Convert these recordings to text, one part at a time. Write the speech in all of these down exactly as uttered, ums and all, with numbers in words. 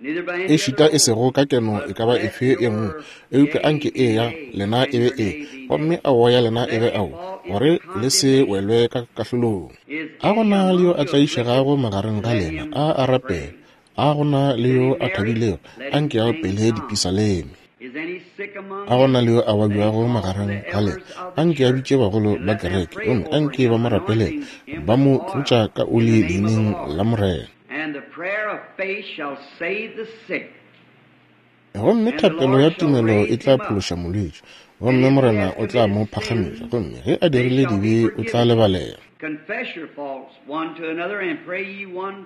Ešita e sego ka keno e ka ba efe ye nngwe, eupša anke ee ya lena e be ee, gomme aowa ya lena e be aowa, gore le se welwe ka kahlolong. A go na le yo a tlaišegago magareng ga lena? A a rapele. A go na le yo a thabilego? Anke a opele dipisaleme. A go na le yo a babjago magareng ga lena? Anke a bitše bagolo ba kereke, gomme anke ba mo rapelele, ba mo tlotša ka oli leineng la Morena. Gomme thapelo ya tumelo e tla phološa molwetši, gomme Morena o tla mo phagamiša, gomme ge a dirile dibe o tla lebalela.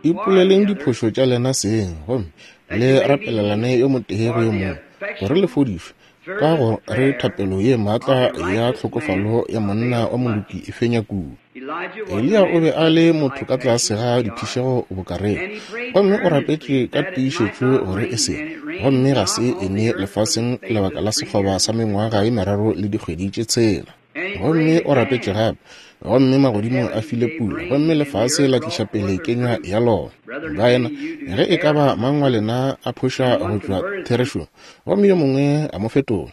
Ipoleleng diphošo tša lena seng, gomme le rapelelane yo motee go yo mongwe, gore le fodišwe. Ka go re thapelo ye maatla ya tlhokofalo ya monna wa moloki e fenya kudu. Eliya o be a le motho ka tlase ga diphišego bokareng, gomme o rapetše ka tiišetšo gore e se, gomme ga se ene lefaseng lebaka la sekgoba sa mengwaga ye meraro le dikgwedi tše tshela. Gomme o rapetše gape, gomme magodimo a file pula, gomme lefase la tliša pele kenywa ya lona. Baena, ge e ka ba mang wa lena a phoša go tšwa therešong, gomme yo mongwe a mo fetola,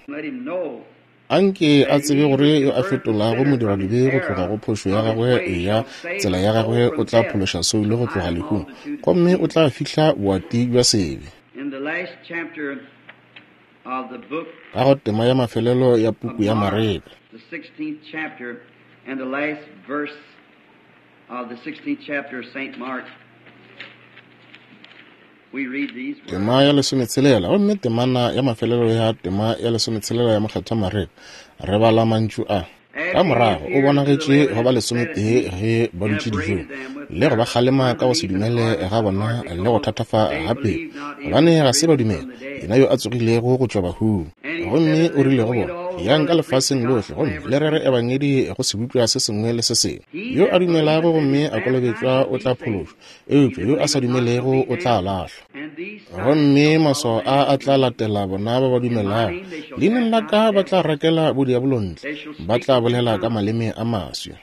anke a tsebe gore yo a fetolago modiradibe go tloga go phošo ya gagwe ya tsela ya gagwe o tla phološa soulo go tloga lehung, gomme o tla fihla boati bja sebe. Ka go tema ya mafelelo ya puku ya Mareka, and the last verse of the sixteenth chapter of Saint Mark, we read these words. Tema ya lesometshelela, gomme temana ya mafelelo ya tema ya lesometshelela ya Mokgethwa Mareka, re bala mantšu a. Ka morago o bonagetše go ba lesometee ge ba dutše dijong, le go ba kgalema ka go se dumele ga bona le go thatafa ga pelo, gobane ga se ba dumela yena yo a tsogilego go tšwa bahung. Gomme o rile go bona, yang ka lefaseng lohle gomme le rere ebangedi go sebopša se sengwe le se sengwe. Yo a dumelago gomme a kolobetšwa o tla phološwa, eupša yo a sa dumelego o tla lahlwa. Gomme maswao a a tla latela bona ba ba dumelago, leineng la ka ba tla rakela bodiabolo ntle, ba tla bolela ka maleme a maswi,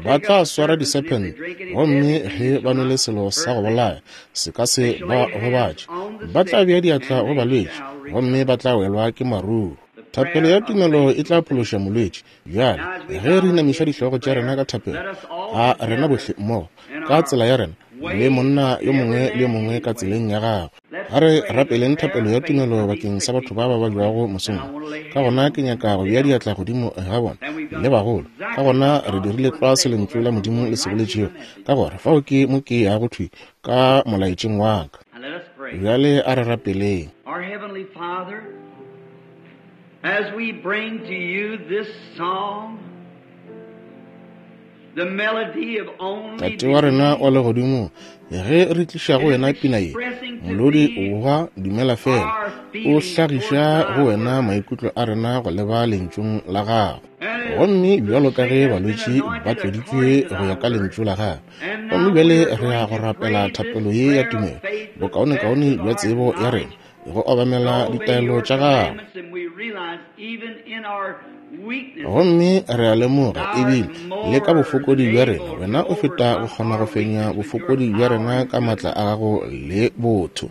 ba tla swara disephente, gomme ge ba nwele selo sa go bolaya se ka se ba gobatše, ba tla bea diatla go balwetši, gomme ba tla welwa ke maruo. Thapelo ya tumelo e tla phološa molwetši. Bjale ge re inamiša dihlogo tša rena ka thapelo, a rena bohle mmogo ka tsela ya rena, le monna yo mongwe le yo mongwe ka tseleng ya gagwe, a re rapeleng thapelo ya tumelo bakeng sa batho ba ba babjago mosong. Ka gona ke nyaka go bea diatla godimo ga bona le bagolo. Ka gona re dirile tlwa se lentšu la Modimo le se boletšego, ka gore fao ke mo ke yago thwi ka molaetšeng wa ka. Bjale a re rapeleng. Our Heavenly Father, as we bring to you this song, the melody of only Tate wa rena wa legodimo, ge re tliša go wena pina ye, molodi wa dumela fela, o hlagiša go wena maikutlo a rena go leba lentšung la gago. Gomme bjalo ka ge balwetši ba tloditšwe go ya ka lentšu la gago, gomme bjale re ya go rapela thapelo ye ya tumelo, bokaonekaone bja tsebo ya rena, go obamela ditaelo tša gago. Gomme re a lemoga ebile le ka bofokodi bja rena, wena o feta go kgona go fenya bofokodi bja rena ka maatla a gago le botho.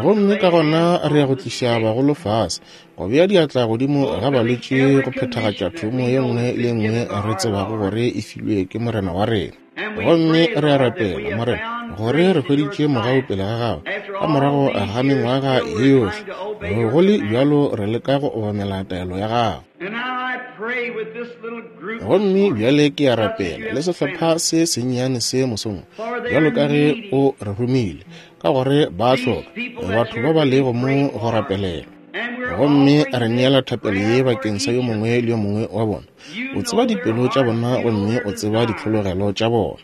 Gomme ka gona re ya go tliša bagolo fase, go bea diatla godimo ga balwetši go phethagatša thomo ye nngwe le ye nngwe re tsebago gore e filwe ke Morena wa rena. Gomme re a rapela, Morena, gore re hweditše mogau pele ga gago ka morago ga mengwaga ye yohle, go le bjalo re leka go obamela taelo ya gago. Gomme bjale ke a rapela le sehlopha se sennyane se mosong, bjalo ka ge o re romile, ka gore ba hloka batho ba ba lego mo go rapelela. Gomme re neela thapelo ye bakeng sa yo mongwe le yo mongwe wa bona. O tseba dipelo tša bona gomme o tseba ditlhologelo tša bona.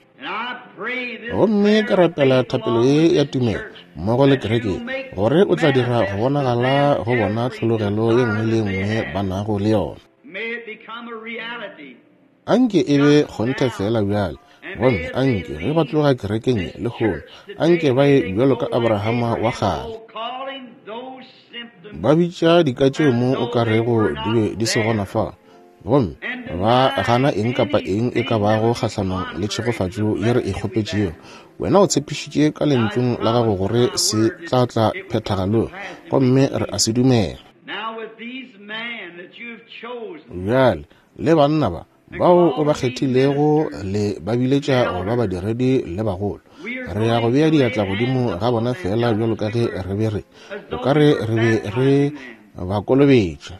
Gomme ke rapela thapelo ye ya tumelo mmogo le kereke, gore o tla dira go bonagala go bona tlhologelo ye nngwe le ye nngwe ba nago le yona. Anke e be kgonthe fela bjale, gomme anke ge ba tloga kerekeng ye lehono, anke ba ye bjalo ka Abrahama wa kgale, ba bitša dika tšeo mo o ka rego di be di se gona fa, Gomme ba gana eng kapa eng e ka bago kgahlanong le tšhegofatšo ye re e kgopetšego. Wena o tshepišitše ka lentšung la gago gore se tla tla phethagalong, gomme re a se dumela. Bjale le banna ba bao o ba kgethilego le ba biletša go ba badiredi le bagolo, re ya go bea diatla godimo ga bona fela bjalo ka ge re be re o ka re re be re ba kolobetša.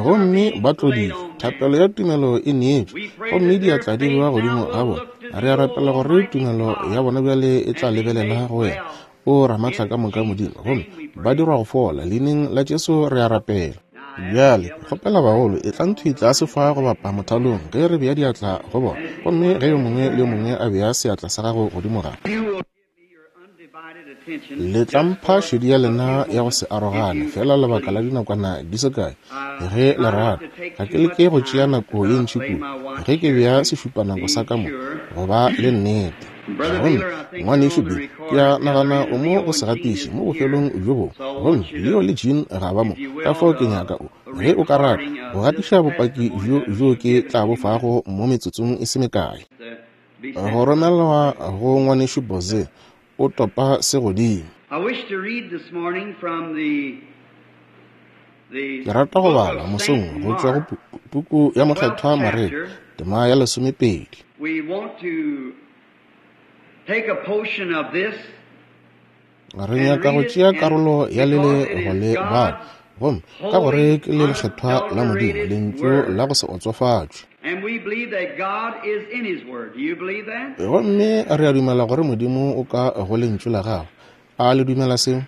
Gomme ba tloditšwe, thapelo ya tumelo e neetšwe, gomme diatla di bewa godimo ga bona. Re a rapela gore tumelo ya bona bjale e tla lebelela go wena, o Ramaatla ka moka Modimo, gomme ba dirwa go fola. Leineng la Jesu re a rapela. Bjale kgopela bagolo e tla ntho tlase fa go bapa mothalong ge re bea diatla go bona, gomme ge yo mongwe le yo mongwe a bea seatla sa gago godimo ga. Le tla mpha šedi ya lena ya go se arogane fela lebaka la dinakwana di se kae ge le rata. Ga ke leke go tšea nako ye ntši kudu ge ke bea sešupanako sa ka mo go ba le nnete. Gomme ngwanešu Bill, ke a nagana o mo go se gatiše mo bofelong bjo bongwe, gomme Leo le Jean ga ba mo, ka fao ke nyaka o, ge o ka rata, go gatiša bopaki bjo bjo ke tla bo fago mo metsotsong e se mekae. Go romelwa go ngwanešu Boze, o topa se godimo. Ke rata go bala mosong go tšwa go puku ya Mokgethwa Mareka, tema ya lesomepedi. Re nyaka go tšea karolo ya lele go le bala, gomme ka gore ke le lekgethwa la Modimo, lentšu la go se otsofatšwe. Gomme re a dumela gore Modimo o ka go lentšu la gagwe. A le dumela seo?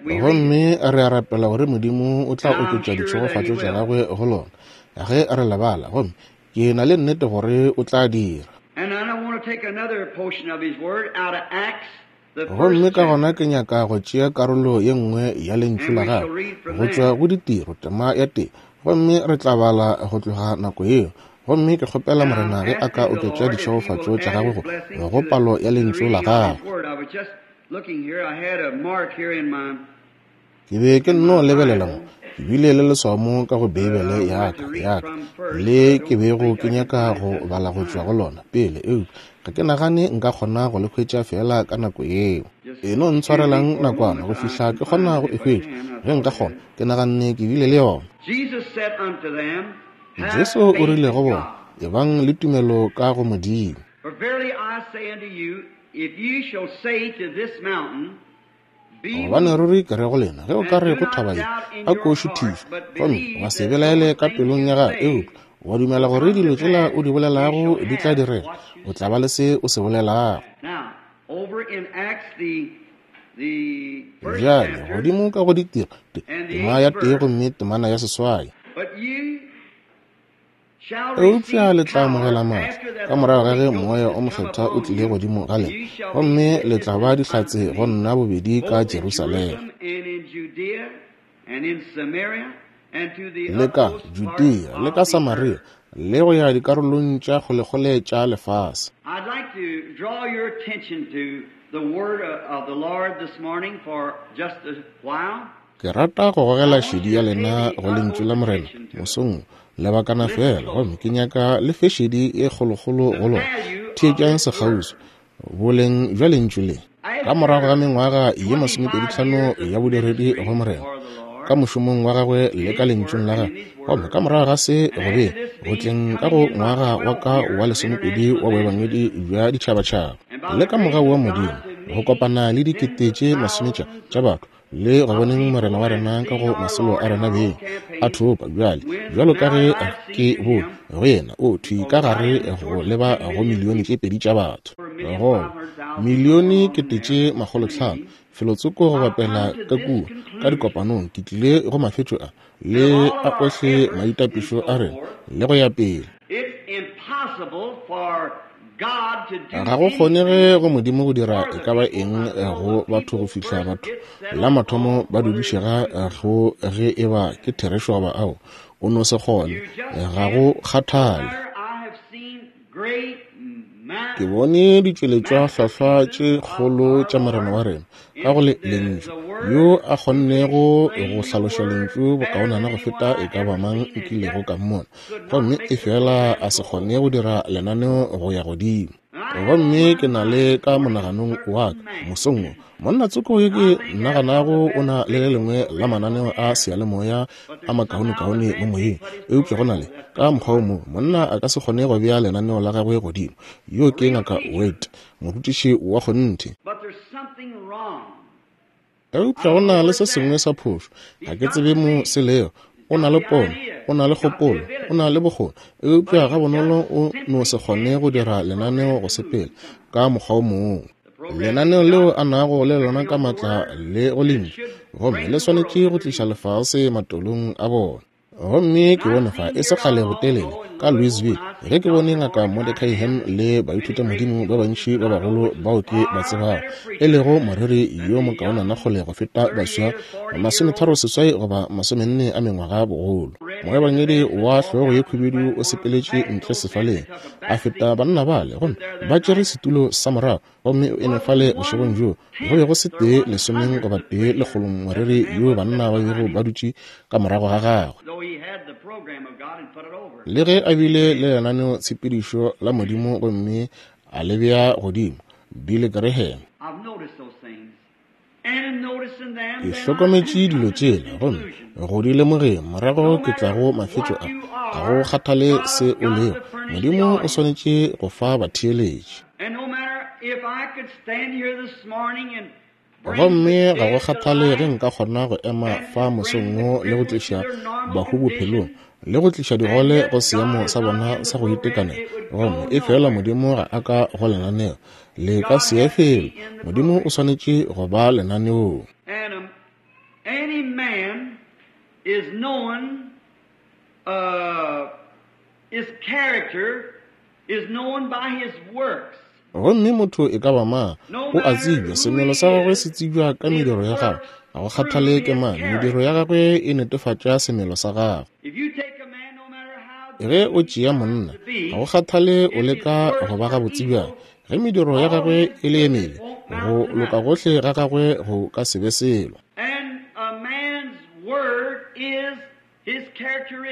Gomme re a rapela gore Modimo o tla oketša ditšhegofatšo tša gagwe go lona ge re le bala, gomme ke na le nnete gore o tla dira. Gomme ka gona ke nyaka go tšea karolo ye nngwe ya lentšu la gagwe go tšwa go Ditiro tema ya tee, gomme re tla bala go tloga nako yeo. Gomme ke kgopela Morena ge a ka oketša ditšhegofatšo tša gagwe go go palo ya lentšu la gagwe. Ke be ke nno lebelela mo, ke bile le leswao mo ka go Beibele ya ka ya ka le ke bego ke nyaka go bala go tšwa go lona pele, eupša ga ke nagane nka kgona go le hwetša fela ka nako yeo. E no ntshwarelang nakwana go fihla ke kgona go e hwetša, ge nka kgona. Ke naganne ke bile le yona. Jesu o rile go bona, ebang le tumelo ka go Modimo. Gobane ruri ke re go lena, ge o ka re go thaba ye, a ko šuthišwe, gomme wa se belaele ka pelong ya gago, eupša wa dumela gore dilo tšela o di bolelago di tla direga, o tla ba le se o se bolelago. Bjale godimo ka go Ditiro, tema ya tee gomme temana ya seswai. Eupša le tla amogela maatla ka morago ga ge Moya o Mokgethwa o tlile godimo ga lena, gomme le tla ba dihlatse go nna bobedi ka Jerusalema le ka Judea le ka Samaria le go ya dikarolong tša kgolekgole tša lefase. Ke rata go gogela šedi ya lena go lentšu la Morena mosong lebakana fela, gomme ke nyaka le fe šedi e kgolokgolo go lona. Theetšang sekgauswi boleng bja lentšu le. Ka morago ga mengwaga ye masomepedi tlhano ya bodiredi go Morena ka mošomong wa gagwe le ka lentšung la gagwe, gomme ka morago ga se go be go tleng ka go ngwaga wa ka wa lesomepedi wa boebangedi bja ditšhabatšhaba, le ka mogau wa Modimo go kopana le dikete tše masometša tša batho le go boneng Morena wa rena ka go masolo a rena beng a thopa bjale bjalo ka ge ke bone go yena o thwi ka gare go leba go milione tše pedi tša batho, go milione kete tše makgolotlhano felotsoko go bapela ka kua ka dikopanong. Ke tlile go mafetšo a le a ohle maitapišo a rena le go ya pele. Ga go kgonege go Modimo go dira e ka ba eng go batho go fihla batho la mathomo ba dudišega go ge e ba ke therešo goba ao o no se kgone, ga go kgathale. Ke bone ditšweletšwa hlwahlwa tše kgolo tša Morena wa rena ka go le Lentšu, yo a kgonnego go hlaloša Lentšu bokaonana go feta e ka ba mang nkilego ka mmona, gomme efela a se kgone go dira lenaneo go ya godimo. Gomme ke na le ka monaganong wa ka mosong wo, monna tsoko yo ke naganago o na le le lengwe la mananeo a seyalemoya a makaonekaone mo moyeng, eupša go na le ka mokgwa o mongwe monna a ka se kgone go bea lenaneo la gagwe godimo. Yo ke Ngaka Wade, morutiši wa kgonthe. Eupša go na le se sengwe sa phošo, ga ke tsebe mo se lego. O na le pono, o na le kgopolo, o na le bokgoni, eupša ga bonolo o no se kgone go dira lenaneo go sepela ka mokgwa o mongwe. Lenaneo leo a nago le lona ka matla le go lentšu, gomme le swanetše go tliša lefase matolong a bona. Gomme ke bone fa e se kgale botelele ka Louisville, ge ke bone Ngaka Mordecai Ham le baithutamodimo ba bantši ba bagolo bao ke ba tsebago, e lego moreri yo mokaonana kgole go feta baswa masometharo seswai goba masomenne a mengwaga bogolo. Moebangedi wa hlogo ye khubedu o sepeletše ntle sefaleng, a feta banna bale, gomme ba tšere setulo sa morago, gomme o eme fale bošegong bjoo go be go se tee lesomeng goba tee lekgolong moreri yo banna ba bego ba dutše ka morago ga gagwe. Le ge a bile le lenaneo tshepedišo la Modimo gomme a le bea godimo, Billy Graham. Ke hlokometše dilo tšela, gomme go di lemogeng morago ke tla go mafetšo a. Ga go kgathale se o lego, Modimo o swanetše go fa batheeletši. Gomme ga go kgathale ge nka kgona go ema fa mosong wo le go tliša bahu bophelong, le go tliša digole go seemo sa bona sa go itekanela, gomme efela Modimo ga a ka go lenaneo, le ka se ye felo. Modimo o swanetše go ba lenaneong. Any man is known, uh, his character is known by his works. Gomme motho e ka ba mang o a tsebja, semelo sa gagwe se tsebja ka mediro ya gagwe. Ga go kgathale ke mang, mediro ya gagwe e netefatša semelo sa gagwe. Ge o tšea monna, ga go kgathale o leka go ba gabotse bjang, ge mediro ya gagwe e le ye mebe, go loka gohle ga gagwe go ka se be selo.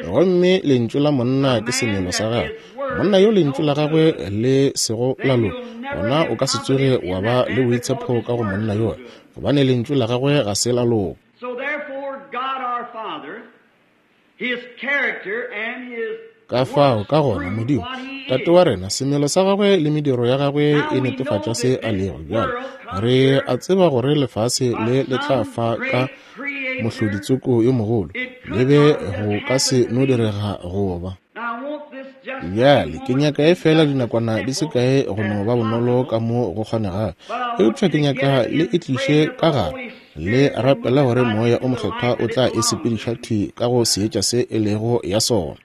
Gomme lentšu la monna ke semelo sa gagwe. Monna yo lentšu la gagwe le sego la loka, gona o ka se tsoge wa ba le boitshepo ka go monna yola, gobane lentšu la gagwe ga se la loka. Ka fao ka gona Modimo Tate wa rena, semelo sa gagwe le mediro ya gagwe e netefatša se a lego. Bjale re a tseba gore lefase le le tla fa ka mohloditsoko yo mogolo, le be go ka se no direga go ba. Bjale ke nyaka e fela dinakwana di se kae go no ba bonolo ka mo go kgonegago, eupša ke nyaka le e tliše ka gare le rapela gore Moya o Mokgethwa o tla e sepediša thwi ka go seetša se e lego ya sona.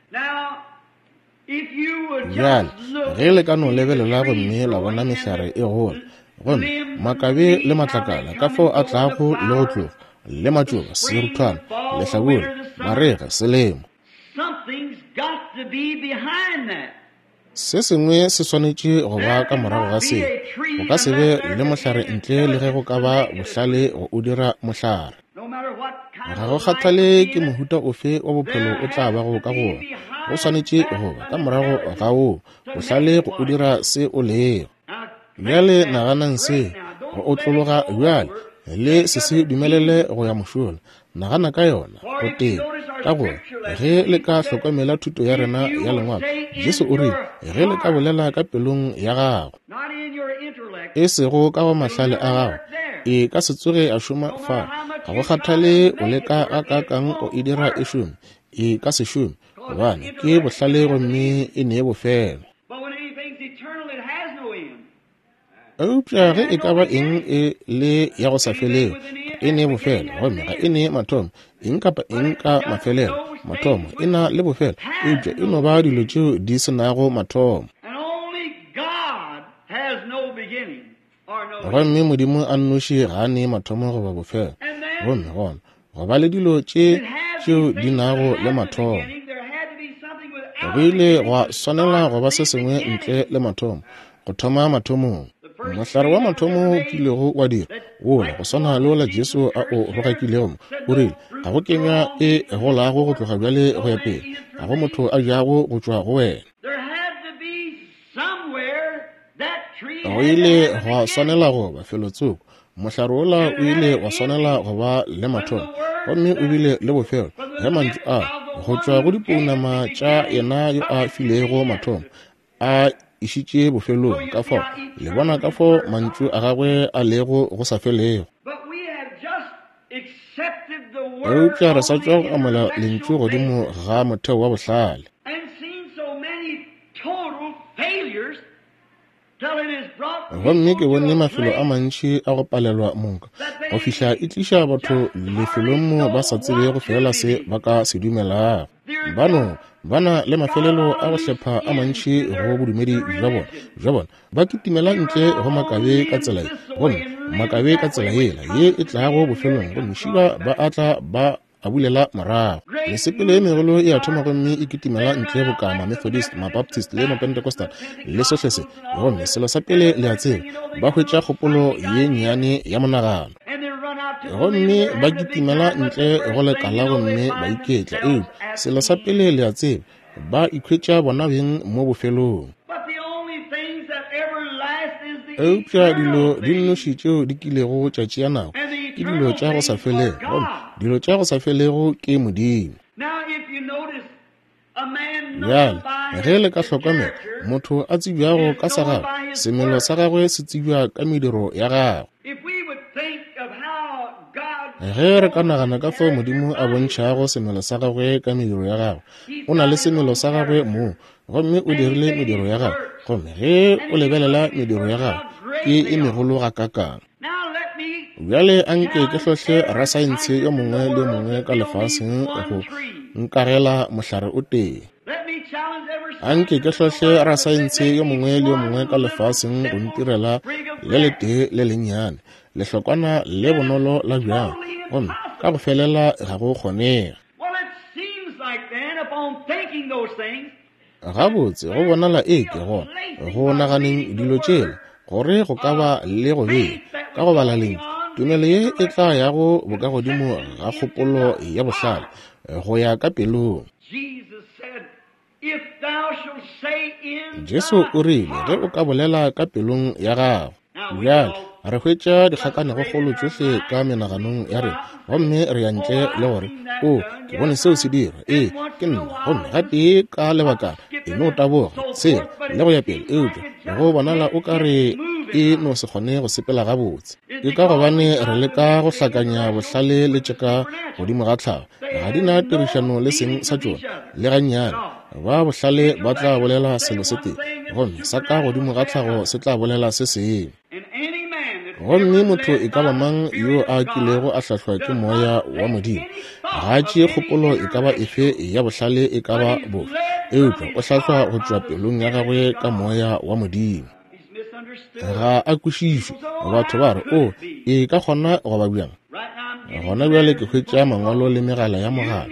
Bjale ge le ka no lebelela gomme la bona mehlare e gola, gomme makabe le matlakala ka fao a tlago le go tloga, le matšoba, seruthwana, lehlabula, marega, selemo, se sengwe se swanetše go ba ka morago ga seo. Go ka se be le mohlare ntle le ge go ka ba bohlale go o dira mohlare. Ga go kgathale ke mohuta ofe wa bophelo o tla bago ka go wona, go swanetše go ba ka morago ga woo bohlale go o dira se o lego. Bjale naganang se go otlologa bjale, le se se dumelele go ya mošola. Nagana ka yona go tee, ka gore ge le ka hlokomela thuto ya rena ya lengwalo, Jesu o rile ge le ka bolela ka pelong ya gago, e sego ka go mahlale a gago, e ka se tsoge a šoma fa. Ga go kgathale o leka gakaakang go e dira e šome, e ka se šome, gobane ke bohlale gomme e nee bofelo. Eupša ge e ka ba eng e le ya go sa felego, ga e nee bofelo, gomme ga e nee mathomo. Eng kapa eng ka mafelelo, mathomo e na le bofelo, eupša e no ba dilo tšeo di se nago mathomo. Gomme Modimo a nnoši ga a nee mathomo goba bofelo, gomme gona go ba le dilo tše tšeo di nago le mathomo. Go ile gwa swanela go ba se sengwe ntle le mathomo, Go thoma mathomong, mohlare wa mathomo o kilego wa dira wola go swana le wola Jesu a o rogakilego mo, o rile, ga go kenywa e golago go tloga bjale go ya pele, ga go motho a jago go tšwa go wena. Go ile gwa swanela go ba felotsoko. Mohlare wola o ile wa swanela go ba le mathomo, gomme o bile le bofelo, ge mantšu a go tšwa go dipounama tša yena yo a filego mathomo a išitše bofelong. Ka fao le bona ka fao mantšu a gagwe a lego go sa felego. Eupša re sa tšwa go amogela lentšu godimo ga motheo wa bohlale, gomme ke bone mafelo a mantši a go palelwa monka go fihla e tliša batho lefelong mo ba sa tsebego fela se ba ka se dumelago. Bano ba na le mafelelo a go hlepha a mantši go bodumedi bja bona bja bona ba kitimela ntle go makabe ka tsela ye, gomme makabe ka tsela yela ye e tlago bofelong, gomme šiba ba atla ba a bulela morago. Mesepelo ye megolo e a thoma gomme e kitimela ntle boka ma-Methodist, ma-Baptist le ma-Pentecostal le sohle se, gomme selo sa pele le a tseba, ba hwetša kgopolo ye nnyane ya monagano, gomme ba kitimela ntle go lekala gomme ba iketla. Eupša selo sa pele le a tseba, ba ikhwetša bona beng mo bofelong. Eupša dilo di nnoši tšeo di kilego tša tšea nako ke dilo tša go sa felego, gomme dilo tša go sa felego ke Modimo. Bjale ge le ka hlokomela, motho a tsebjago ka sa gagwe, semelo sa gagwe se tsebja ka mediro ya gagwe. Ge re ka nagana ka fao Modimo a bontšhago semelo sa gagwe ka mediro ya gagwe, o na le semelo sa gagwe moo, gomme o dirile mediro ya gagwe, gomme ge o lebelela mediro ya gagwe ke e megolo gakakang. Bjale anke ke hlohle rasaense yo mongwe le yo mongwe ka lefaseng go nkarela mohlare o tee. Anke ke hlohle rasaense yo mongwe le yo mongwe ka lefaseng go ntirela le letee le lennyane, lehlokwana le bonolo la bjang, gomme ka go felela ga go kgonege. Gabotse go bonala e ke gona go naganeng dilo tšela gore go ka ba le go bea ka go bala lentšu, tumelo ye e tla yago bokagodimo ga kgopolo ya bohlale go ya ka pelong. Jesu o rile ge o ka bolela ka pelong ya gago. Bjale re hwetša dikgakanegokgolo tšohle ka menaganong ya rena, gomme re ya ntle le gore, o, ke bone seo se dira, ee, ke nna, gomme gatee ka lebakana e no taboga sela le go ya pele, eupša go bonala o ka re e no se kgone go sepela gabotse. Ke ka gobane re leka go hlakanya bohlale le tšeka godimo ga tlhago, ga di na tirišano le seng sa tšona le gannyane. Ba bohlale ba tla bolela selo se tee, gomme sa ka godimo ga tlhago se tla bolela se sengwe. Gomme motho e ka ba mang yo a kilego a hlahlwa ke moya wa Modimo ga a tšee kgopolo e ka ba efe ya bohlale e ka ba bofe, eupša o hlahlwa go tšwa pelong ya gagwe ka moya wa Modimo. Ga a kwešišwe. Batho ba re, o, e ka kgona go ba bjang? Gona bjale ke hwetša mangwalo le megala ya mogala.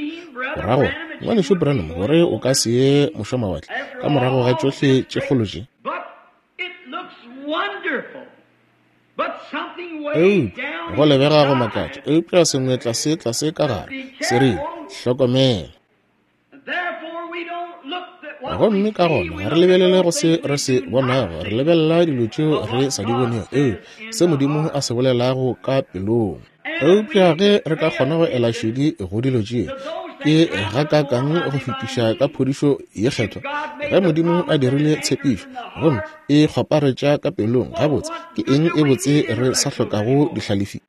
O ra gore, ngwanešu Branham, gore o ka se ye mošwamawatle ka morago ga tšohle tše kgolo tše? Eupša go lebega go makatša, eupša sengwe tlase tlase ka gare se rile, hlokomela. Gomme ka gona ga re lebelele go se re se bonago, re lebelela dilo tšeo re sa di bonego, eupša se Modimo a se bolelago ka pelong. Eupša ge re ka kgona go ela šedi go dilo tše, ke gakakang go fetiša ka phodišo ye kgethwa. Ge Modimo a dirile tshepišo gomme e kgwaparetša ka pelong, gabotse ke eng e botse re sa hlokago dihlalefi?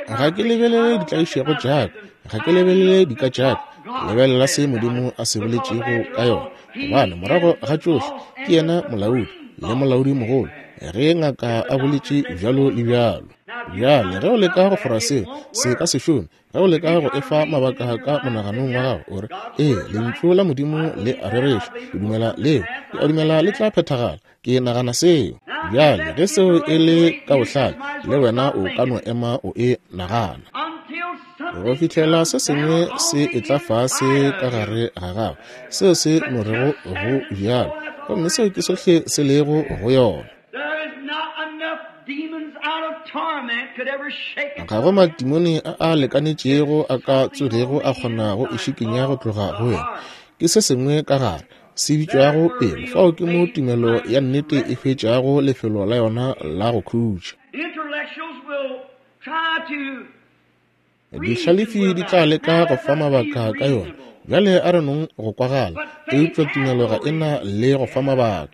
Ga ke lebelele ditlaišego tša ka, ga ke lebelele dika tša ka, lebelela se Modimo a se boletšego ka yona, gobane morago ga tšohle ke yena molaodi le molaodi mogolo, ge ngaka a boletše bjalo le bjalo. Bjale ge o leka go fora seo, se ka se šome. Ge o leka go efa mabaka ka monaganong wa gago, o re, ee, lentšu la Modimo le a rereša, ke dumela leo, ke a dumela le tla phethagala, ke nagana seo. Bjale ge seo e le ka bohlale, le wena o ka no ema o e nagana go fihlela se sengwe se etla fase ka gare ga gago, seo se no rego go bjalo. Gomme seo ke sohle se lego go yona. Ga go matimone a a lekanetšego a ka tsogego a kgona go e šikinya go tloga go wena. Ke se sengwe ka gare se bitšwago pelo. Fao ke mo tumelo ya nnete e hwetšago lefelo la yona la go khutša. Dihlalefi di tla leka go fa mabaka ka yona. Bjale a re nong go kwagala, eupša tumelo ga e na le go fa mabaka.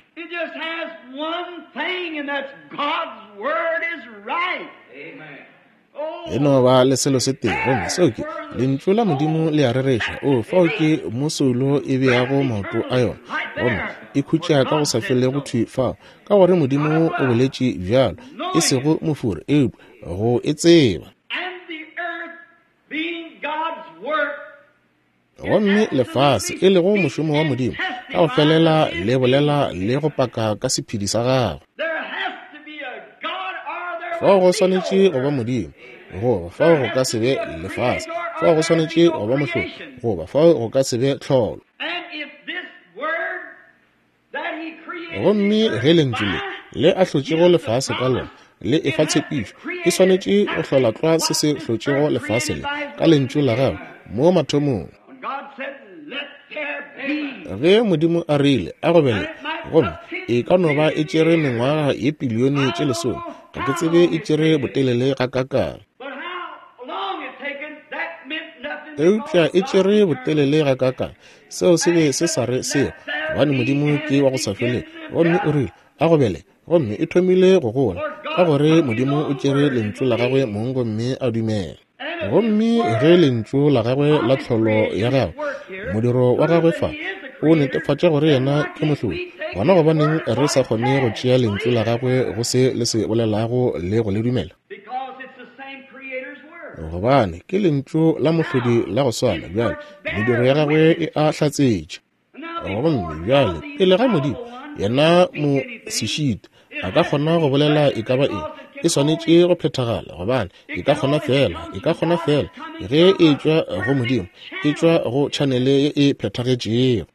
E no ba le selo se tee, gomme seo ke lentšu la Modimo le a rereša. O fao ke mo soulo e beago maoto a yona, gomme e khutša ka go sa felego thwi fao, ka gore Modimo o boletše bjalo, e sego mofori, eupša go e tseba. Gomme lefase, e lego mošomo wa Modimo, ka go felela le bolela le go paka ka sephedi sa gagwe. Fao go swanetše go ba Modimo, goba fao go ka se be lefase. Fao go swanetše go ba mohlolo, goba fao go ka se be tlholo. Gomme ge lentšu le le a hlotšego lefase ka lona le efa tshepišo, e swanetše go hlola tlwa se se hlotšego lefase le ka lentšu la gagwe mo mathomong. Ge Modimo a rile a go bele, gomme e ka no ba e tšere mengwaga ye pilione tše lesome, ga ke tsebe e tšere botelele gakakang, eupša e tšere botelele gakakang, seo se be se sa re seo, gobane Modimo ke wa go sa felego. Gomme o rile a go bele, gomme e thomile go gola, ka gore Modimo o tšere lentšu la gagwe mong gomme a dumela. Gomme ge lentšu la gagwe la tlholo ya gagwe, modiro wa gagwe fa, o netefatša gore yena ke mohlodi, gona gobaneng re sa kgone go tšea lentšu la gagwe go se le se bolelago le go le dumela? Gobane ke lentšu la mohlodi la go swana. Bjale mediro ya gagwe e a hlatsetša. Gomme bjale pele ga Modimo, yena mo sešita, a ka kgona go bolela e ka ba eng, e swanetše go phethagala, gobane e ka kgona fela, e ka kgona fela ge e tšwa go Modimo, e tšwa go tšhanele ye e phethagetšego.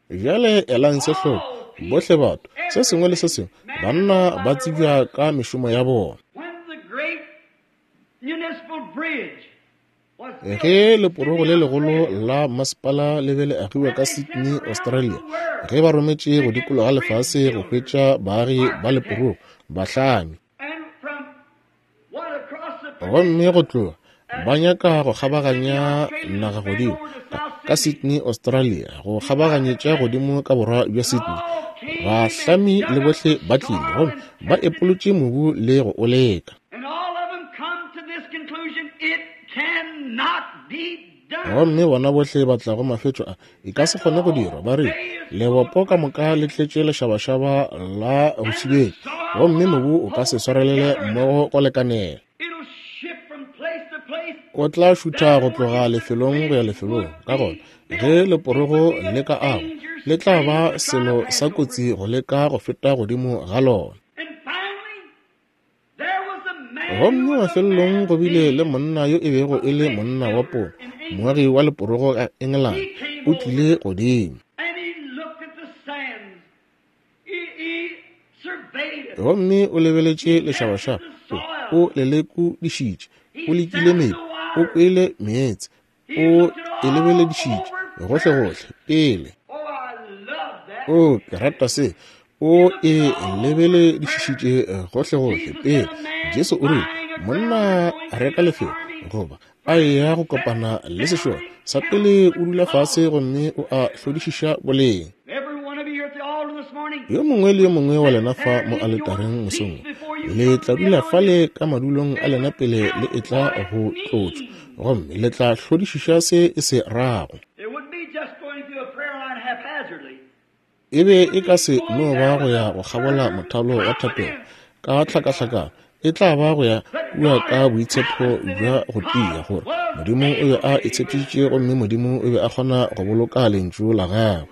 Bjale elang se hloko, bohle batho, se sengwe le se sengwe, banna ba tsebja ka mešomo ya bona. Ge leporogo le legolo la masepala le be le agiwa ka Sydney, Australia, ge ba rometše go dikologa lefase go hwetša baagi ba leporogo bahlami, gomme go tloga ba nyaka go kgabaganya naga godimo ka Sydney, Australia, go kgabaganyetša godimo ka borwa bja Sydney, bahlami le bohle ba tlile gomme ba epolotše mobu le go o leka. Gomme bona bohle ba tla go mafetšo a e ka se kgone go dirwa. Ba re lebopo ka moka le tletše lešabašaba la go šibetša, gomme mobu o ka se swarelele mmogo go lekanela. O tla šutha go tloga lefelong go ya lefelong. Ka gona ge leporogo le ka agwa, le tla ba selo sa kotsi go leka go feta godimo ga lona. Gomme mafelelong go bile le monna yo e bego e le monna wa pono, moagi wa leporogo ka Engelane, o tlile godimo. Gomme o lebeletše lešabašaba, o lelekodišitše, o lekile mebu, o kwele meetse, o e lebeledišitše gohlegohle pele. O, ke rata se. O e lebeledišitše gohlegohle pele. Jesu o rile, monna a reka lefelo goba a eya go kopana le sešole, sa pele o dula fase gomme o a hlodišiša boleng. Yo mongwe le yo mongwe wa lena fa mo aletareng mosong, le tla dula fale ka madulong a lena pele le etla go tlotšwa, gomme le tla hlodišiša se e se rago. E be e ka se no ba go ya go kgabola mothalo wa thapelo ka tlhakahlakano, e tla ba go ya kua ka boitshepo bja go tia gore Modimo o be a itshepišitše, gomme Modimo o be a kgona go boloka lentšu la gagwe.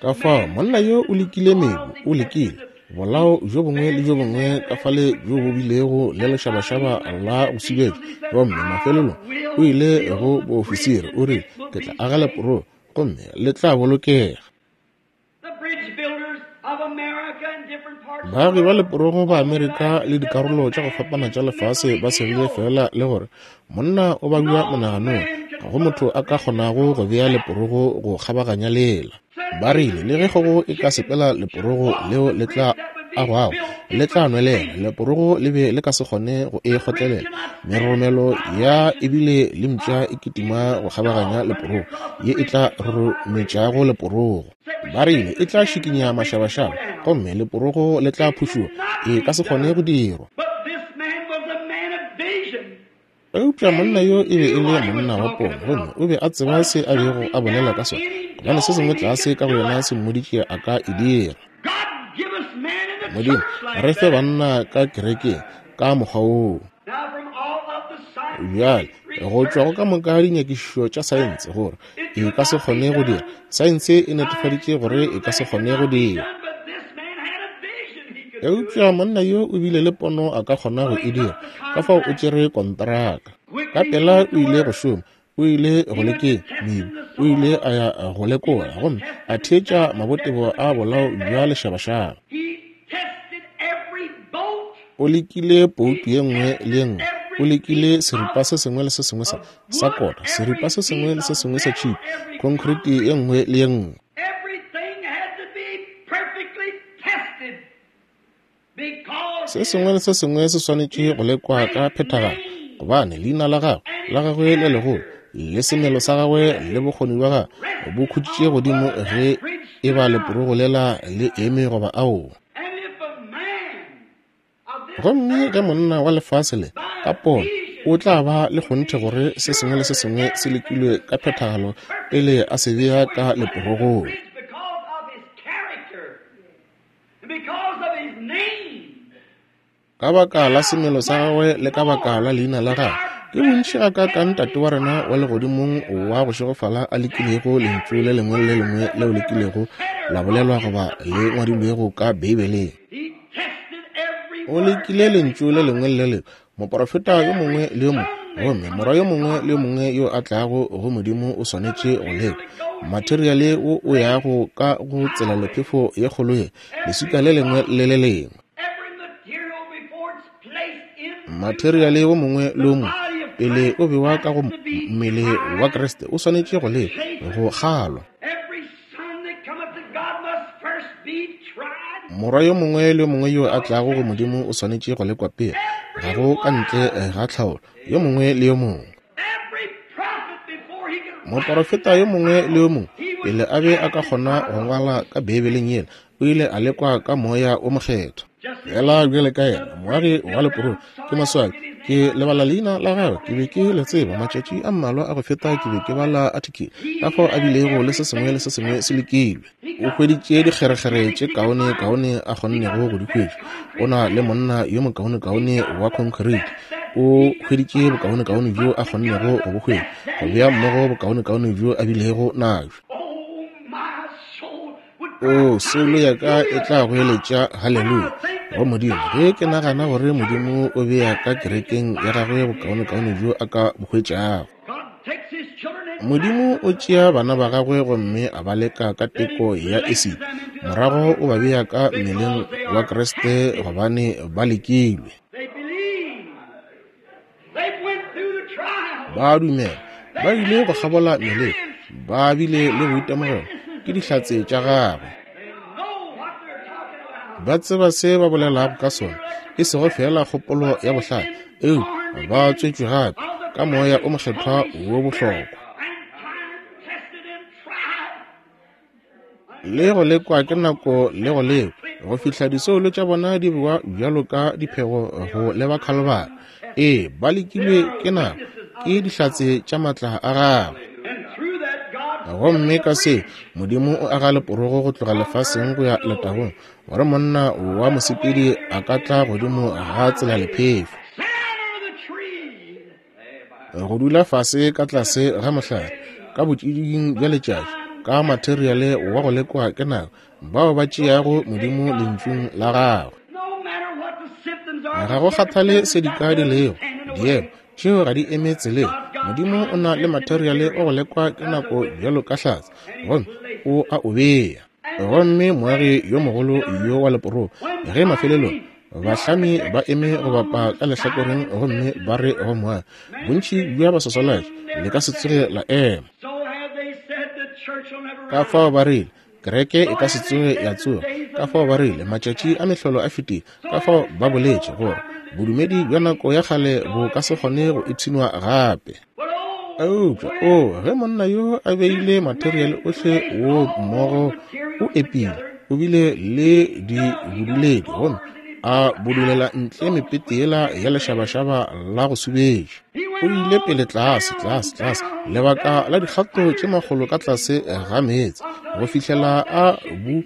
Ka fao monna yo o lekile mebu, o lekile bolao bjo bongwe le bjo bongwe ka fale bjo bo bilego le lešabašaba la go subetša, gomme mafelelong o ile go boofisiri, o rile, ke tla aga leporogo gomme le tla bolokega. Baagi ba leporogo ba Amerika le dikarolo tša go fapana tša lefase ba segile fela le gore monna o babja monaganong, ga go motho a ka kgonago go bea leporogo go kgabaganya lela. Ba rile le ge kgogo e ka sepela leporogo leo le tla agwago le tla nwelela, leporogo le be le ka se kgone go e kgotlelela. Meroromelo ya ebile le mpša e kitima go kgabaganya leporogo ye e tla rorometšago leporogo. Ba rile e tla šikinya mašabašaba gomme leporogo le tla phušuwa, e ka se kgone go dirwa. Eupša monna yo e be e le monna wa pono, gomme o be a tseba se a bego a bolela ka sona, gobane se sengwe tlase ka go yena se mmoditše a ka e dira. Modimo, re fe banna ka kerekeng ka mokgwa woo. Bjale, go tšwa go ka moka dinyakišišo tša saense gore e ka se kgone go dira, saense e netefaditše gore e ka se kgone go dira. Eupša monna yo o bile le pono a ka kgona go e dira, ka fao o tšere kontraka. Ka pela o ile go šoma, o ile go lekeng mebu, o ile a ya go lekola gomme a theetša mabotebo a bolao bja lešabašaba. O lekile poutu ye nngwe le ye nngwe, o lekile seripa se sengwe le se sengwe sa sa kota, seripa se sengwe le se sengwe sa tšhipi, concrete ye nngwe le ye nngwe. Se sengwe le se sengwe se swanetše go lekwa ka phethagalo, gobane leina la gagwe la gagwe le legolo le semelo sa gagwe le bokgoni bja gagwe bo khutšitše godimo ge e ba leporogo lela le eme goba aowa. Gomme ge monna wa lefase le ka pono o tla ba le kgonthe gore se sengwe le se sengwe se lekilwe ka phethagalo pele a se bea ka leporogong. Ka baka la semelo sa gagwe le ka baka la leina la gagwe, ke bontši gakaakang Tate wa rena wa legodimong wa go šegofala a lekilego lentšu le lengwe le le lengwe leo le kilego la bolelwa goba le ngwadilwego ka Beibeleng. O lekile lentšu le lengwe le le lengwe, moprofeta yo mongwe le yo mongwe, gomme morwa yo mongwe le yo mongwe yo a tlago go Modimo o swanetše go lekwa. Materiale wo o yago ka go tselalephefo ye kgolo ye, leswika le lengwe le le lengwe. Materiale wo mongwe le wo mongwe pele o bewa ka go mmele wa Kriste o swanetše go lekwa, go kgalwa. Morwa yo mongwe le yo mongwe yo a tlago go Modimo o swanetše go lekwa pele, ga go ka ntle ga tlhaolo, yo mongwe le yo mongwe. Moporofeta yo mongwe le yo mongwe pele a be a ka kgona go ngwala ka Beibeleng yela, o ile a lekwa ka moya o mokgethwa. Fela bjale ka yena moagi wa leporogo, ke maswabi ke lebala leina la gagwe, ke be ke le tseba matšatši a mmalwa a go feta, ke be ke bala article ka fao a bilego le se sengwe le se sengwe se lekilwe. O hweditše dikgerekgere tše kaone kaone a kgonnego go di hwetša, o na le monna yo mokaonekaone wa concrete, o hweditše bokaonekaone bjo a kgonnego go bo hwetša, go bea mmogo bokaonekaone bjo a bilego nabjo. O, soulo ya ka e tla goeletša haleluya go Modimo ge ke nagana gore Modimo o bea ka kerekeng ya gagwe bokaonekaone bjo a ka bo hwetšago. Modimo o tšea bana ba gagwe gomme a ba leka ka teko ya esiti, morago o ba bea ka mmeleng wa Kriste gobane ba lekilwe. Ba dumela, ba ile go kgabola meleko, ba bile le boitemogelo, ke dihlatse tša gagwe. Ba tseba se ba bolelago ka sona, e sego fela kgopolo ya bohlale, eupša ba tswetšwe gape ka moya o mokgethwa wo bohlokwa. Le go lekwa ke nako le go lekwa, go fihla disoulo tša bona di bewa bjalo ka diphego go leba Khalibari. Ee, ba lekilwe ke nako, ke dihlatse tša matla a gagwe. Gomme ka se Modimo o aga leporogo go tloga lefaseng go ya letagong, gore monna wa mosepedi a ka tla godimo ga tselalephefo, go dula fase ka tlase ga mohlare ka botšiding bja letšatši, ka materiale wa go lekwa ke nako, bao ba tšeago Modimo lentšung la gagwe. Ga go kgathale se dika di lego, diemo tšeo ga di eme tseleng. Modimo o na le materiale o go lekwa ke nako bjalo ka hlatse, gomme o a o bea. Gomme moagi yo mogolo yo wa leporogo, ge mafelelong bahlami ba eme go bapa ka lehlakoreng gomme ba re go moagi, bontši bja baswaswalatši le ka se tsoge la ema. Ka fao ba rile, kereke e ka se tsoge ya tsoga. Ka fao ba rile, matšatši a mehlolo a fetile. Ka fao ba boletše gore bodumedi bja nako ya kgale bo ka se kgone go ipshinwa gape. Eupša o, ge monna yo a beile materiale ohle wo mmogo, o epile, o bile le dibuduledi gomme a budulela ntle mepete yela ya lešabašaba la go subetša. O ile pele tlase, tlase, tlase, lebaka la dikgato tše makgolo ka tlase ga meetse, go fihlela a bu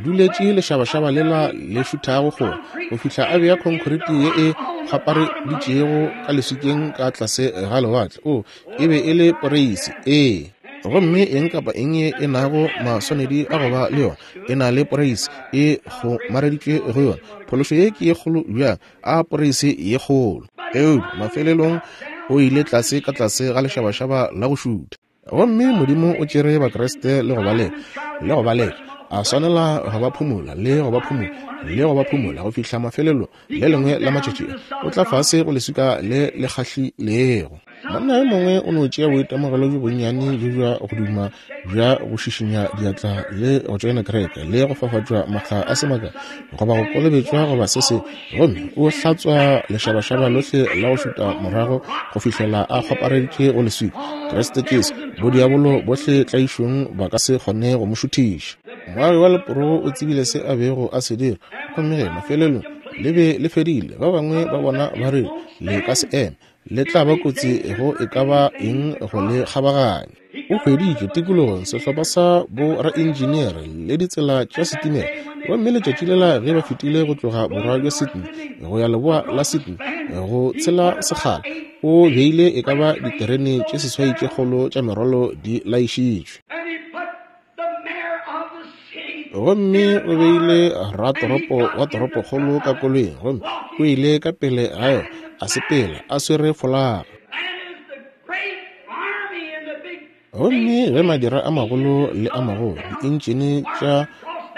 duletše lešabašaba lela le šuthago kgole, go fihla a bea khonkhoriti ye e kgwapareditšego ka leswikeng ka tlase ga lewatle. O, e be e le poreisi, ee. Gomme eng kapa eng ye e nago maswanedi a go ba le yona e na le poreisi e kgomareditšwe go yona. Phološo ye ke ye kgolo bjang, a poreisi ye kgolo. Eupša mafelelong o ile tlase ka tlase ga lešabašaba la go šutha. Gomme Modimo o tšere Bakriste le go ba leka, le go ba leka, a swanela go ba phumola, le go ba phumola, le go ba phumola go fihla mafelelong le lengwe la matšatši o tla fase go leswika le le kgahlilego. Monna yo mongwe o no tšea boitemogelo bjo bonnyane bjo bja go duma bja go šišinya diatla le go tšoena kereke le go fafatšwa makga a se makae goba go kolobetšwa goba se se, gomme o hlatswa lešabašaba lohle la go šuta morago go fihlela a kgwapareditše go leswika. Kriste Jesu, bodiabolo bohle tlaišong ba ka se kgone go mo šuthiša. Moagi wa leporogo o tsebile se a bego a se dira, gomme ge mafelelong le be le fedile, ba bangwe ba bona ba re le ka se eme, le tla ba kotsi go e ka ba eng go le kgabaganya. O hweditše tikologong sehlopha sa boraenjenere le ditsela tša setimela, gomme letšatši lela ge ba fetile go tloga borwa bja Sydney go ya leboa la Sydney go tshela sekgala, o beile e ka ba diterene tše seswai tše kgolo tša merwalo di laišitšwe. Gomme o beile ratoropo wa toropokgolo ka koloing, gomme o ile ka pele ga yona a sepela a swere folaga. Gomme ge madira a magolo le a magolo, dientšene tša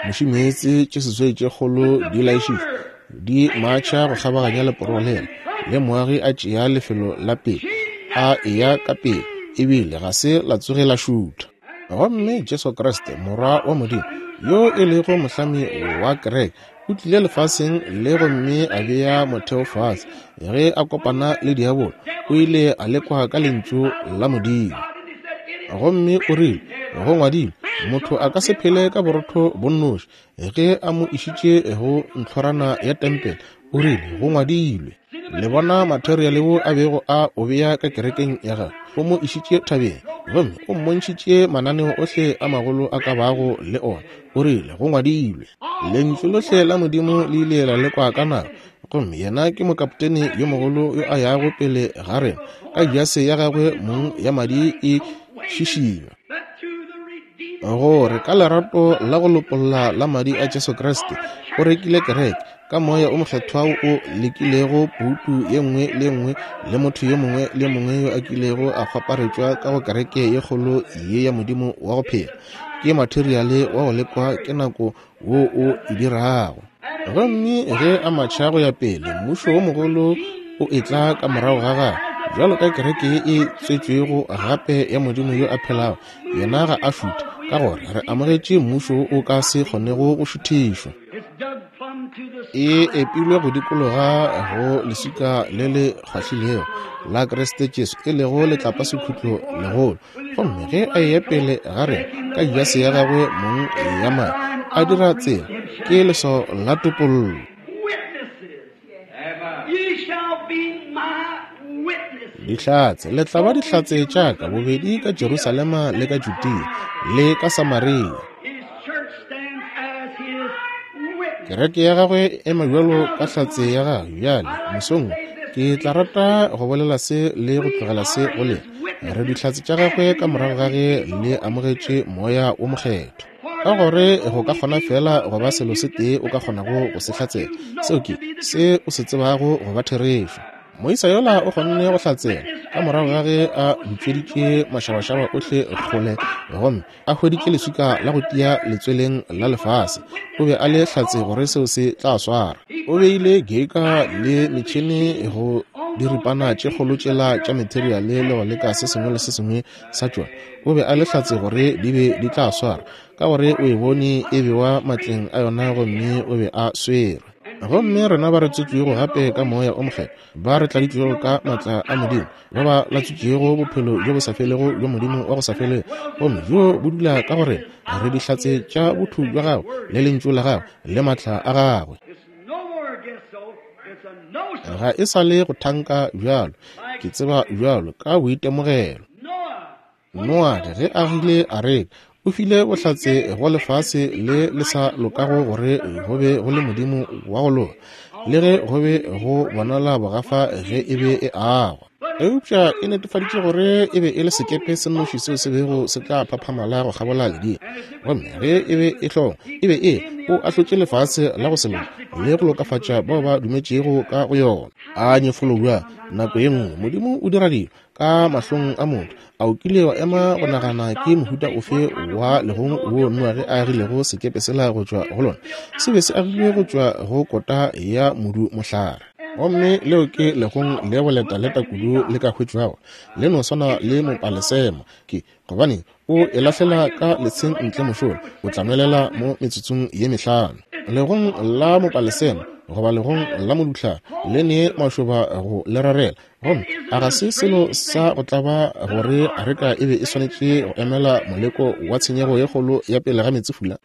mošimeetse tše seswai tše kgolo di laišitšwe, di matšha go kgabaganya leporogo lela, le moagi a tšea lefelo la pele, a eya ka pele, ebile ga se la tsoge la šutha. Gomme Jesu Kriste, Morwa wa Modimo, yo e lego mohlami wa kereke, o tlile lefaseng le gomme a bea motheo fase. Ge a kopana le diabolo, o ile a lekwa ka lentšu la Modimo. Gomme o rile, go ngwadilwe, motho a ka se phele ka borotho bo nnoši. Ge a mo išitše go ntlhorana ya tempele, o rile, go ngwadilwe. Le bona materiale wo a bego a o bea ka kerekeng ya gagwe, o mo išitše thabeng, gomme o mmontšhitše mananeo ohle a magolo a ka bago le ona. O rile, go ngwadilwe. Lentšu lohle la Modimo le ile la lekwa ka nako, gomme yena ke mokaptene yo mogolo yo a yago pele ga rena, ka jase ya gagwe mong ya madi e šišinywa, gore ka lerato la go lopolla la madi a Jesu Kriste o rekile kereke ka moya o mokgethwa o lekilego poutu ye nngwe le nngwe le motho yo mongwe le mongwe yo a kilego a kgwaparetšwa ka go kereke ye kgolo ye ya Modimo wa go phela. Ke materiale wa go lekwa ke nako wo o e dirago. Gomme ge a matšha go ya pele, mmušo wo mogolo o etla ka morago ga gagwe, bjalo ka kereke ye e tswetšwego gape ya Modimo yo a phelago. Yena ga a šuthe, ka gore re amogetše mmušo o ka se kgonego go šuthišwa. E epilwe go dikologa go leswika le le kgwahlilego la Kriste Jesu, e lego letlapasekhutlo legolo. Gomme ge a eya pele ga rena ka jase ya gagwe mong ya madi, a dira tsela, ke leswao la topollo. Dihlatse, le tla ba dihlatse tša ka bobedi ka Jerusalema le ka Judea le ka Samaria. Kereke ya gagwe e ema bjalo ka hlatse ya gagwe. Bjale mosong ke tla rata go bolela se le go tlogela se go lena. Re dihlatse tša gagwe ka morago ga ge le amogetše moya wo mokgethwa. Ka gore go ka kgona fela go ba selo se tee o ka kgonago go se hlatsela, seo ke se o se tsebago go ba therešo. Moisa yola o kgonne go hlatsela ka morago ga ge a butšweditše mašabašaba ohle kgole gomme a hweditše leswika la go tia letsweleng la lefase. O be a le hlatse gore seo se tla swara. O beile geika le metšhene go diripana tše kgolo tšela tša materiale le go leka se sengwe le se sengwe sa tšona. O be a le hlatse gore di be di tla swara, ka gore o e bone e bewa matleng a yona gomme o be a swerwe. Gomme rena ba re tswetšwego gape ka Moya o Mokgethwa, ba re tladitšwego ka maatla a Modimo, ba ba latswitšego bophelo bjo bo sa felego bjo Modimo wa go sa felego, gomme bjo bo dula ka go rena, re dihlatse tša botho bja gagwe le lentšu la gagwe le maatla a gagwe. Ga e sa le go thanka bjalo, ke tseba bjalo ka boitemogelo. Noa ge a agile areka, o file bohlatse go lefase le le sa lokago gore go be go le Modimo wa go loka, le ge go be go bonala bogafa ge e be e agwa. Eupša e netefaditše gore e be e le sekepe se nnoši seo se bego se tla phaphamala go kgabola ledimo. Gomme ge e be e hlongwa, e be e o ahlotše lefase la go se loke le go lokafatša bao ba dumetšego ka go yona. A nyefolo bjang! Nako ye nngwe Modimo o dira dilo ka mahlong a motho. A o kile wa ema go nagana ke mohuta ofe wa legong wo Noage a agilego sekepe sela go tšwa go lona? Se be se agilwe go tšwa go kota ya modu mohlare. Gomme leo ke legong le boletaleta kudu le ka hwetšwago, le no swana le mopalesema. Ke gobane o e lahlela ka letsheng ntle mošola, o tla nwelela mo metsotsong ye mehlano. Legong la mopalesema goba legong la moduhlare le ne mašoba go le rarela. Gomme a ga se selo sa go tlaba gore areka e be e swanetše go emela moleko wa tshenyego ye kgolo ya pele ga meetsefula?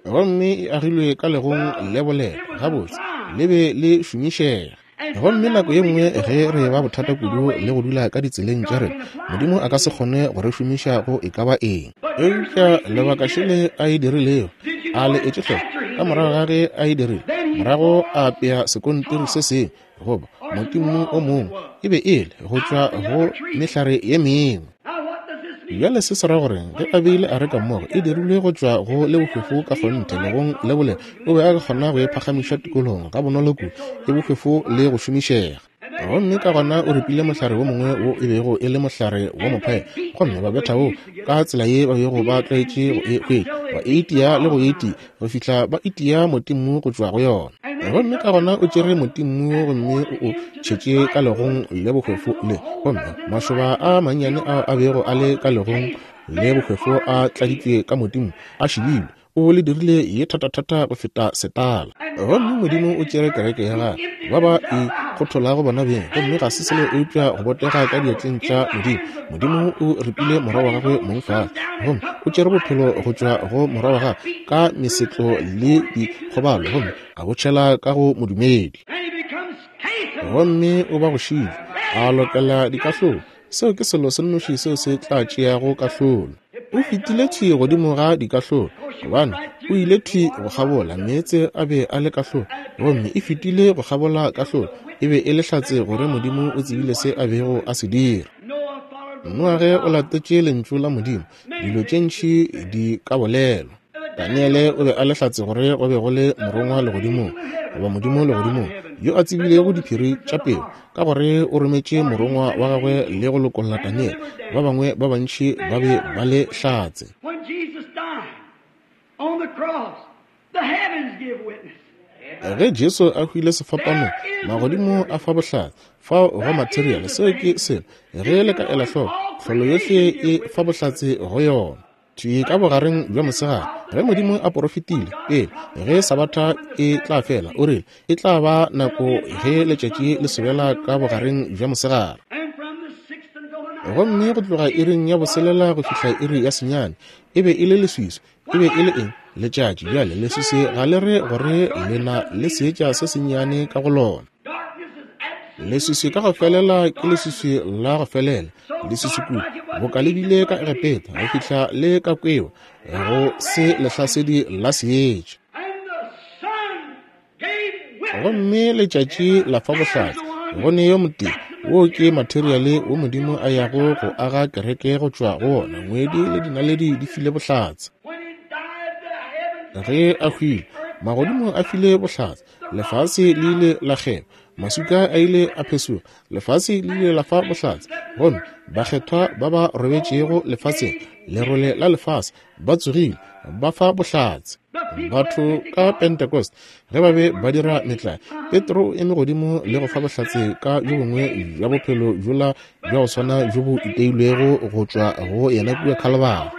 Gomme e agilwe ka legong le boleta gabotse, le be le šomišega. Gomme nako ye nngwe ge re ba bothata kudu le go dula ka ditseleng tša rena, Modimo a ka se kgone go re šomiša go e ka ba eng. Eupša lebaka šele a e dirilego, a le etše hloko, ka morago ga ge a e dirile, morago a apea sekontiri se sengwe goba motimmu o mongwe, e be e le go tšwa go mehlare ye mengwe. Bjale se se ra gore ge a beile areka mmogo, e dirilwe go tšwa go le bohwefo ka kgonthe legong le boleta, o be a ka kgona go e phagamiša tikologong ga bonolo kudu, e bohwefo le go šomišega. Gomme ka gona o ripile mohlare wo mongwe wo e bego e le mohlare wa mophae, gomme ba betha wo ka tsela ye ba bego ba tlwaetše go e hwetša, ba e itia le go e itia go fihla ba itia motimmu go tšwa go yona. Gomme ka gona o tšere motimmu gomme o o tšhetše ka legong le bohwefo le, gomme mašoba a mannyane ao a bego a le ka legong le bohwefo a tladitšwe ka motimmu a šibilwe, o le dirile ye thatathata go feta setala. Gomme Modimo o tšere kereke ya gagwe, ba ba e kgotholago bona beng, gomme ga se selo eupša go botega ka diatleng tša Modimo. Modimo o ripile morwa wa gagwe mong fase, gomme o tšere bophelo go tšwa go morwa wa gagwe ka mesetlo le dikgobalo, gomme a bo tšhela ka go modumedi. Gomme o ba go šile, a lokela dikahlolo. Seo ke selo se nnoši seo se tla tšeago kahlolo. O fetile thwi godimo ga dikahlolo, gobane o ile thwi go kgabola meetse a be a le kahlolo, gomme e fetile go kgabola kahlolo. E be e le hlatse gore Modimo o tsebile se a bego a se dira. Noage o latetše lentšu la Modimo, dilo tše ntši di ka bolelwa. Daniele o be a le hlatse gore go be go le morongwa legodimong, goba Modimo legodimong, yo a tsebilego diphiri tša pelo, ka gore o rometše morongwa wa gagwe le go lokolla Daniele. Ba bangwe ba bantši ba be ba le hlatse. Ge Jesu a hwile sefapanong, magodimo a fa bohlatse. Fao go materiale, seo ke selo. Ge le ka ela hloko, tlholo yohle e fa bohlatse go yona. Thwi ka bogareng bja mosegare, ge Modimo a porofetile pele ge Sabatha e tla fela, o rile e tla ba nako ge letšatši le sobela ka bogareng bja mosegare. Gomme go tloga iring ya boselela go fihla iri ya senyane, e be e le leswiswi. E be e le eng? Letšatši. Bjale leswiswi ga le re gore le na le seetša se sennyane ka go lona. Leswiswi ka go felela ke leswiswi la go felela, leswiswi kudu boka le bile ka Egepeta go fihla le ka kwewa go se lehlasedi la seetša. Gomme letšatši la fa bohlatse go ne yo motee. Wo ke materiale wo Modimo a yago go aga kereke go tšwa go wona. Ngwedi le dinaledi di file bohlatse. Ge a hwile, Magodimo a file bohlatse, lefase le ile la kgeba, maswika a ile a phesoga, lefase le ile la fa bohlatse, gomme bakgethwa ba ba robetšego lefaseng, lerole la lefase, ba tsogile, ba fa bohlatse. Batho ka Pentecost ge ba be ba dira metlae, Petro o eme godimo le go fa bohlatse ka bjo bongwe bja bophelo bjola bja go swana bjo bo iteilwego go tšwa go yena kua Kalvari.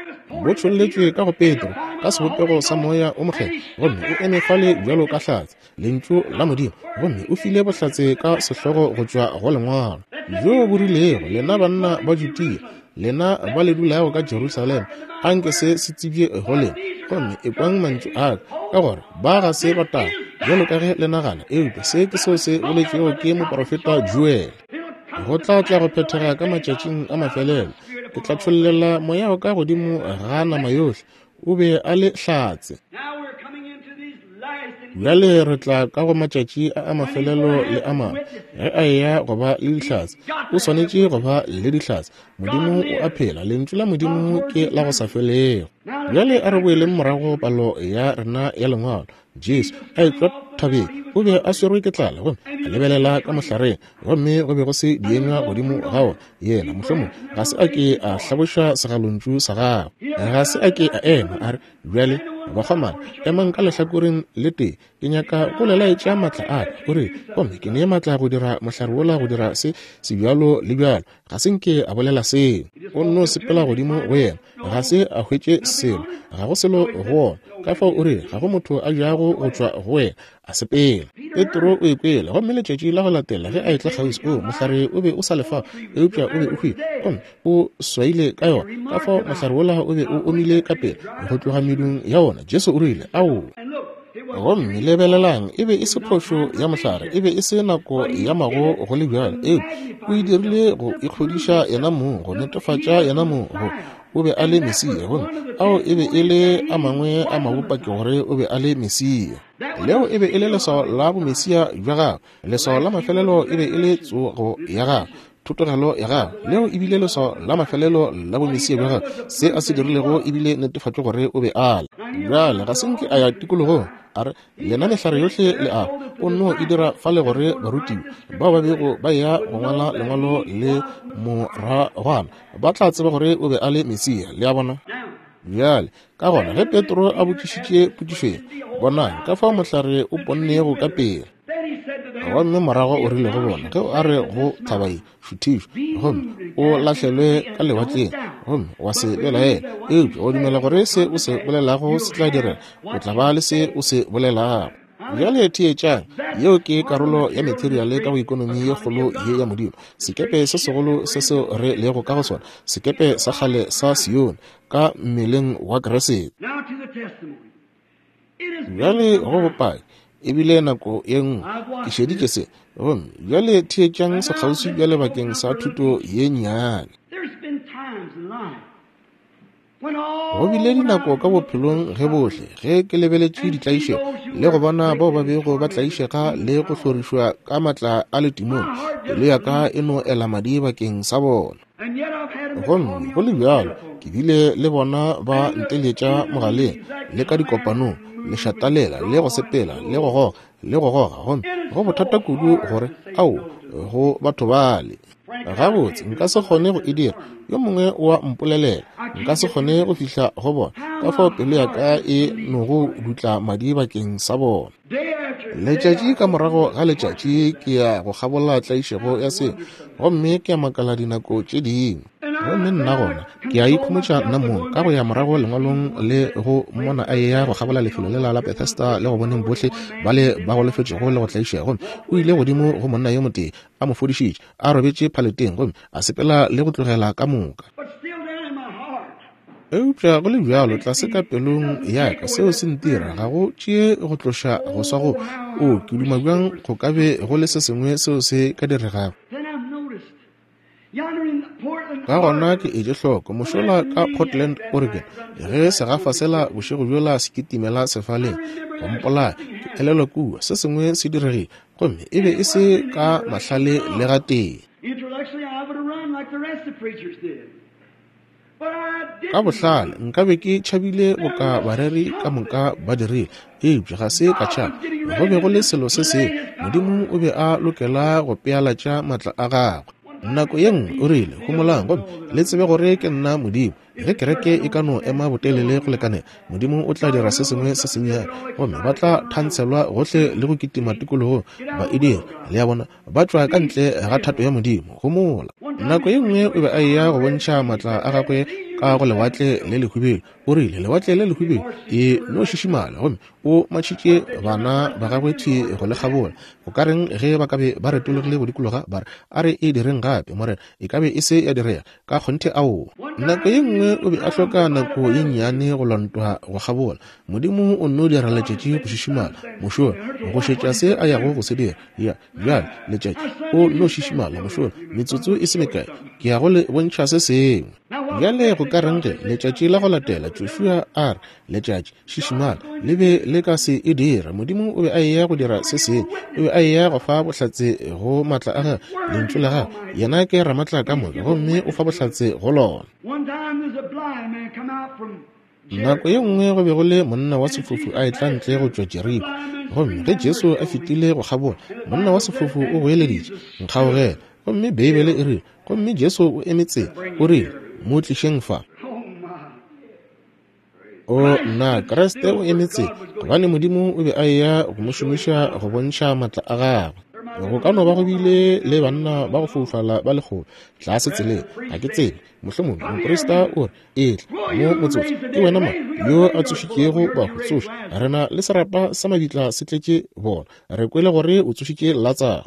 Bo tšholletšwe ka go Petro ka sebopego sa moya o mokgethwa, gomme o eme fale bjalo ka hlatse, lentšu la Modimo, gomme o file bohlatse ka sehlogo go tšwa go lengwalo bjo bo rilego, lena banna ba Judea, lena ba le dulago ka Jerusalema, anke se se tsebje go lena, gomme ekwang mantšu a ka, ka gore ba ga se ba taba bjalo ka ge le nagana, eupša se ke seo se boletšwego ke moprofeta Joel. Go tla tla go phethega ka matšatšing a mafelelo, ke tla tšhollela moya wa ka godimo ga nama yohle. O be a le hlatse. Bjale re tla ka go matšatši a a mafelelo le a mangwe. Ge a eya go ba le dihlatse, o swanetše go ba le dihlatse. Modimo o a phela, lentšu la Modimo ke la go sa felego. Bjale a re boeleng morago palo ya rena ya lengwalo. Jesu a etšwa thabeng, o be a swerwe ke tlala, gomme a lebelela ka mohlareng, gomme go be go se dienywa godimo ga wona. Yena mohlomong ga se a ke a hlaboša segalontšu sa gagwe, ga se a ke a ema a re, bjale bakgomana, emang ka lehlakoreng le tee, ke nyaka go le laetša maatla a ka, o re, gomme ke nee maatla go dira mohlare wola go dira se se bjalo le bjalo. Ga se nke a bolela seo, o nno sepela godimo go yena, ga se a hwetše selo, ga go selo go wona. Ka fao o re, ga go motho a jago go tšwa go wena, a sepela. Petro o ekwele, gomme letšatši la go latela ge a etla kgauswi, o mohlare o be o sa lefa, eupša o be o hwile, gomme o swaile ka yona. Ka fao mohlare wola o be o omile ka pele go tloga medung ya wona. Jesu o rile, ao. Gomme lebelelang, e be e se phošo ya mohlare, e be e se nako ya mago go le bjalo, eupša o e dirile go ikgodiša yena mong, go netefatša yena mong go o be a le Mesia, gomme ao e be e le a mangwe a mabopaki gore o be a le Mesia. Leo e be e le leswao la bomesia bja gagwe, leswao la mafelelo e be e le tsogo ya gagwe, thotogelo ya gagwe. Leo e bile leswao la mafelelo la bomesia bja gagwe. Se a se dirilego e bile netefatšo gore o be a le. Bjale ga se nke a ya tikologong a re, lena mehlare yohle le a, o nno e dira fale gore barutiwa bao ba bego ba ya go ngwala lengwalo le moragwana ba tla tseba gore o be a le Mesia. Le a bona? Bjale ka gona ge Petro a botšišitše potšišo ye, bonang ka fao mohlare o ponnego ka pele. Gomme morago o rile go bona, ge a re go thaba ye, šuthišwa, gomme o lahlelwe ka lewatleng, gomme wa se belaela, eupša o dumela gore se o se bolelago se tla direga, o tla ba le se o se bolelago. Bjale theetšang, yeo ke karolo ya materiale ka go ekonomi ye kgolo ye ya Modimo. Sekepe se segolo se seo re lego ka go sona, sekepe sa kgale sa Sione ka mmeleng wa Kriste. Bjale go bopaki, ebile nako ye nngwe ke šeditše se, gomme bjale theetšang sekgauswi bjale bakeng sa thuto ye nnyane. Go bile dinako ka bophelong ge bohle ge ke lebeletše ditlaišego le go bona bao ba bego ba tlaišega le go hlorišwa ka matla a letimong, pelo ya ka e no ela madi bakeng sa bona. Gomme go le bjalo ke bile le bona ba nteletša mogaleng le ka dikopanong, lešatalela le go sepela le go goga le go goga, gomme go bothata kudu gore ao go batho bale. Gabotse nka se kgone go e dira, yo mongwe wa mpolelela, nka se kgone go fihla go bona, ka fao pelo ya ka e nogo dutla madi bakeng sa bona. Letšatši ka morago ga letšatši ke ya go kgabola tlaišego ya se, gomme ke a makala dinako tše dingwe. Gomme nna gona ke a ikhomotša nna mong ka go ya morago lengwalong le go mmona a eya go kgabola lefelo lela la Bethesda le go boneng bohle ba le ba golofetšego le go tlaišega, gomme o ile godimo go monna yo motee a mo fodišitše a robetše phaleteng, gomme a sepela le go tlogela ka moka. Eupša go le bjalo tlase ka pelong ya ka seo se ntira ga go tšee go tloša go swa go o ke duma bjang go ka be go le se sengwe seo se ka diregago. Ka gona ke etše hloko mošola ka Portland, Oregon, ge segafa sela bošego bjola se kitimela sefaleng go mpolaya, ke elelwa kua se sengwe se diregile, gomme e be e se ka mahlale le gatee. Ka bohlale nkabe ke tšhabile boka bareri ka moka ba dirile, eupša ga se ka tšhaba. Go be go le selo se sengwe. Modimo o be a lokela go pealatša maatla a gagwe. Nako ye nngwe o rile, homolang gomme le tsebe gore ke nna Modimo. Ge kereke e ka no ema botelele go lekanela, Modimo o tla dira se sengwe se sennyane, gomme ba tla thantshelwa gohle le go kitima tikologong ba e dira. Le a bona, ba tšwa ka ntle ga thato ya Modimo. Homola. Nako ye nngwe o be a eya go bontšha maatla a gagwe ka go lewatle le lehwibidu. O rile, lewatle le lehwibidu e no šišimala, gomme o matšhitše bana ba gagwe thwi go le kgabola. Go ka reng ge ba ka be ba retologile go dikologa ba re, a re e direng gape, Morena, e ka be e se ya direga? Ka kgonthe aowa. Nako ye nngwe o be a hloka nako ye nnyane go lontwa go kgabola. Modimo o nno dira letšatši go šišimala mošola, go šetša se a yago go se dira. Ya bjale letšatši o nno šišimala mošola metsotso e se mekae, ke ya go le bontšha se sengwe. Bjale go ka reng ge letšatši la go latela Joshua a re, letšatši šišimala, le be le ka se e dira. Modimo o be a eya go dira se sengwe. O be a eya go fa bohlatse go maatla a gagwe, lentšu la gagwe. Yena ke ramatla ka moka, gomme o fa bohlatse go lona. Nako ye nngwe go be go le monna wa sefofu a etla ntle go tšwa Jeriko, gomme ge Jesu a fetile go kgabola, monna wa sefofu o goeleditše, nkgaogela. Gomme Beibele e rile, gomme Jesu o eme tsela, o rile, mo tlišeng fa. O nna, Kriste o eme tsela, gobane Modimo o be a eya go mo šomiša go bontšha maatla a gagwe. Go ka no ba go bile le banna ba go foufala ba lekgolo tlase tseleng, ga ke tsebe. Mohlomongwe moprista o re, etla mo motsotso, ke wena mang yo a tsošitšego bahu? Tsoša, re na le serapa sa mabitla se tletše bona. Re kwele gore o tsošitše Latsaro.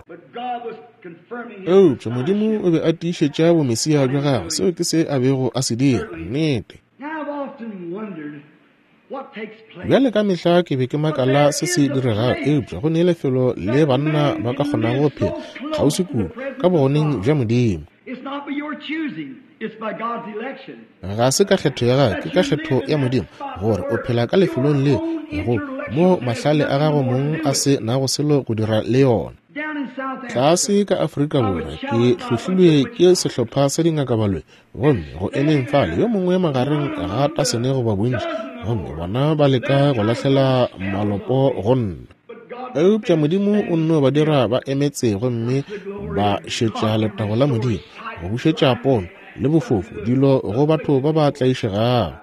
Eupša Modimo o be a tiišetša bomesia bja gagwe. Seo ke se a bego a se dira. Nnete. Bjale ka mehla ke be ke makala se se diregago, eupša go ne lefelo le banna ba ka kgonago go phela kgauswi kudu ka bogoneng bja Modimo. Ga se ka kgetho ya gago, ke ka kgetho ya Modimo gore o phela ka lefelong le go mo mahlale a gago mong a se nago selo go dira le yona. Tlase ka Afrika Borwa ke hlohlilwe ke sehlopha sa dingakabaloi, gomme go emeng fale yo mongwe magareng ga tasene goba bontši, gomme bona ba leka go lahlela malopo go nna. Eupša Modimo o nno ba dira ba emetse, gomme ba šetša letago la Modimo go bušetša pono le bofofu dilo go batho ba ba tlaišegago.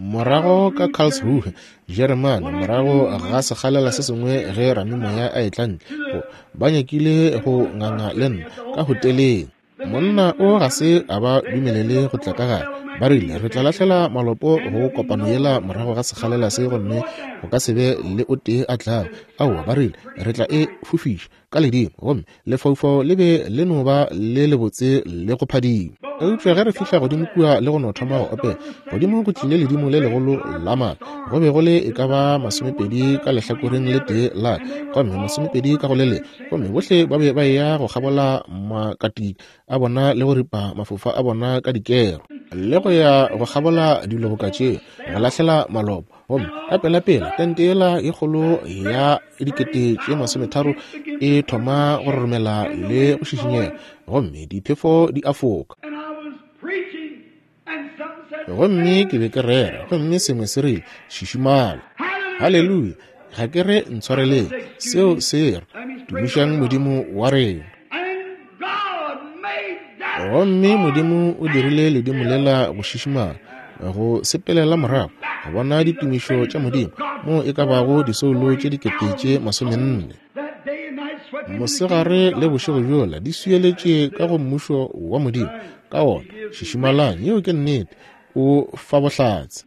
Morago ka Karlsruhe, Jeremane, morago ga sekgalela se sengwe ge ramimoya a etla ntle, ba nyakile go nganga le nna ka hoteleng. Monna o ga se a ba dumelele go tla ka gare. Ba rile, re tla lahlela malopo go kopano yela morago ga sekgalela se, gomme go ka se be le o tee a tlago. Aowa, ba rile, re tla e fofiša ka ledimo, gomme lefaufau le be le no ba le lebotse le go phadima. Eupša ge re fihla godimo kua le go no thoma go opela, godimo go tlile ledimo le legolo la maatla. Go be go le e ka ba masomepedi ka lehlakoreng le tee la ka, gomme masomepedi ka go le lengwe, gomme bohle ba be ba eya go kgabola makatika a bona le go ripa mafofa a bona ka dikero, le go ya go kgabola dilo boka tšeo, go lahlela malopo. Gomme ka pelapela tente yela ye kgolo ya dikete tše masometharo e thoma go roromela le go šišinyega, gomme diphefo di a foka. Gomme ke be ke rera, gomme sengwe se rile, šišimala. Haleluya! Ga ke re ntshwareleng, seo se re, tumišang Modimo wa rena. Gomme Modimo o dirile ledimo lela go šišimala, go sepelela morago, go bona ditumišo tša Modimo, mo e ka bago disoulo tše dikete tše masomenne. Mosegare le bošego bjola di swieletše ka go mmušo wa Modimo. Ka wona šišimalang, yeo ke nnete, o fa bohlatse.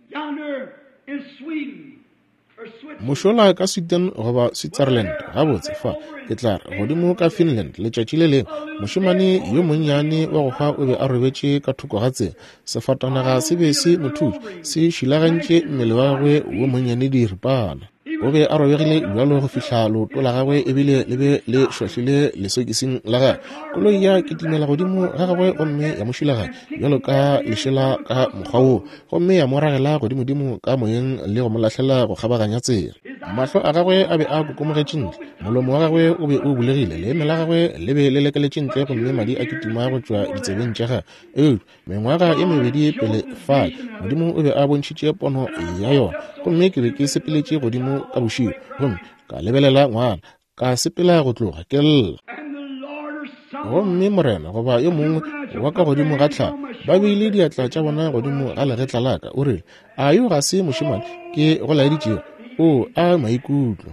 Mošola ka Sweden goba Switzerland, gabotse fa ke tla re godimo ka Finland letšatši le lengwe, mošemane yo monnyane wa go hwa o be a robetše ka thoko ga tsela. Sefatanaga se be se mo thutše, se šilagantše mmele wa gagwe wo monnyane diripana. O be a robegile bjalo go fihla leoto la gagwe ebile le be le šwahlile lesokising la gagwe. Koloi ya kitimela godimo ga gagwe gomme ya mo šilaganya bjalo ka lešela ka mokgwa woo, gomme ya mo ragela godimodimo ka moyeng le go mo lahlela go kgabaganya tsela. Mahlo a gagwe a be a kokomogetše ntle, molomo wa gagwe o be o bulegile, leeme la gagwe le be le lekeletše ntle, gomme madi a kitima go tšwa ditsebeng tša gagwe. Eupša mengwaga ye mebedi pele fale, Modimo o be a bontšhitše pono ya yona. Gomme ke be ke sepeletše godimo ka bošego, gomme ka lebelela ngwana, ka sepela go tloga ke lla. Gomme Morena goba yo mongwe wa ka godimo ga tlhago ba beile diatla tša bona godimo ga legetla la ka. O rile, a yo ga se mošemane ke go laeditšego? O a maikutlo.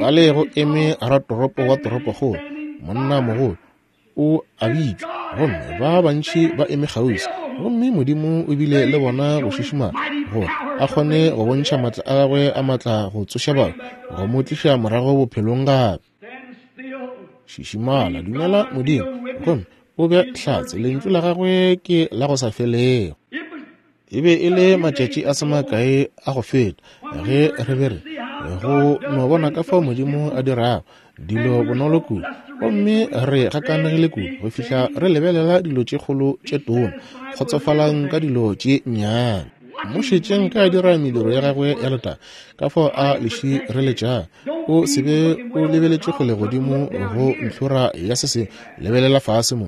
Fale go eme ratoropo wa toropokgolo, monnamogolo, o a bitšwa, gomme ba bantši ba eme kgauswi. Gomme Modimo o bile le bona go šišimala gore a kgone go bontšha matla a gagwe a matla go tsoša batho, go mo tliša morago bophelong gape. Šišimala, dumela Modimo, gomme o be hlatse. Lentšu la gagwe ke la go sa felego. E be e le matšatši a se makae a go feta ge re be re go no bona ka fao Modimo a dirago dilo bonolo kudu, gomme re gakanegile kudu go fihla re lebelela dilo tše kgolo tše tona, kgotsofalang ka dilo tše nnyane. Mo šetšeng ka dira mediro ya gagwe ya letago, ka fao a le šireletšago. O se be o lebeletše kgole godimo go ntlhora ya se sengwe, lebelela fase mo.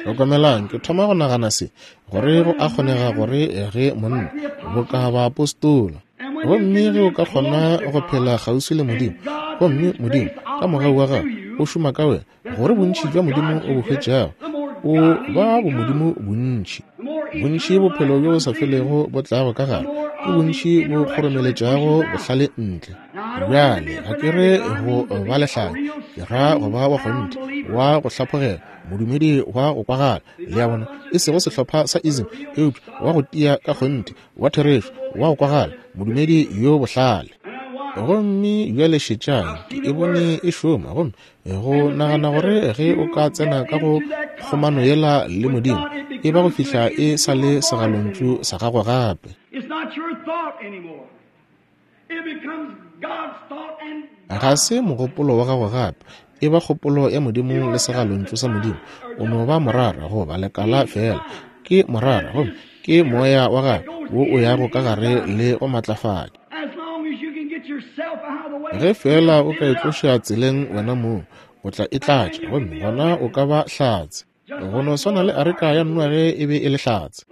Hlokomelang, ke thoma go nagana se, gore go a kgonega gore ge monna boka baapostola, gomme ge o ka kgona go phela kgauswi le Modimo, gomme Modimo ka mogau wa gagwe o šoma ka wena, gore bontši bja Modimo o bo hwetšago o ba bomodimo bontši. Bontši bophelo bjo bo sa felego bo tlago ka gare, ke bontši bo kgoromeletšago bohlale ntle. Bjale ga ke re go ba lehlanya, ke ra go ba wa kgonthe, wa go hlaphogela, modumedi wa go kwagala, le a bona, e sego sehlopha sa ism, eupša wa go tia ka kgonthe, wa therešo, wa go kwagala, modumedi yo bohlale. Gomme bjale šetšang, ke e bone e šoma, gomme go nagana gore ge o ka tsena ka go kgomano yela le Modimo, e ba go fihla e sa le segalontšu sa gago gape. Ga se mogopolo wa gago gape, e ba kgopolo ya Modimo le segalontšu sa Modimo. O no ba morara goba lekala fela, ke morara, gomme ke moya wa gagwe wo o yago ka gare le go matlafatša. Ge fela o ka itloša tseleng wena mong, o tla e tlatša, gomme gona o ka ba hlatse. Go no swana le areka ya Noage e be e le hlatse.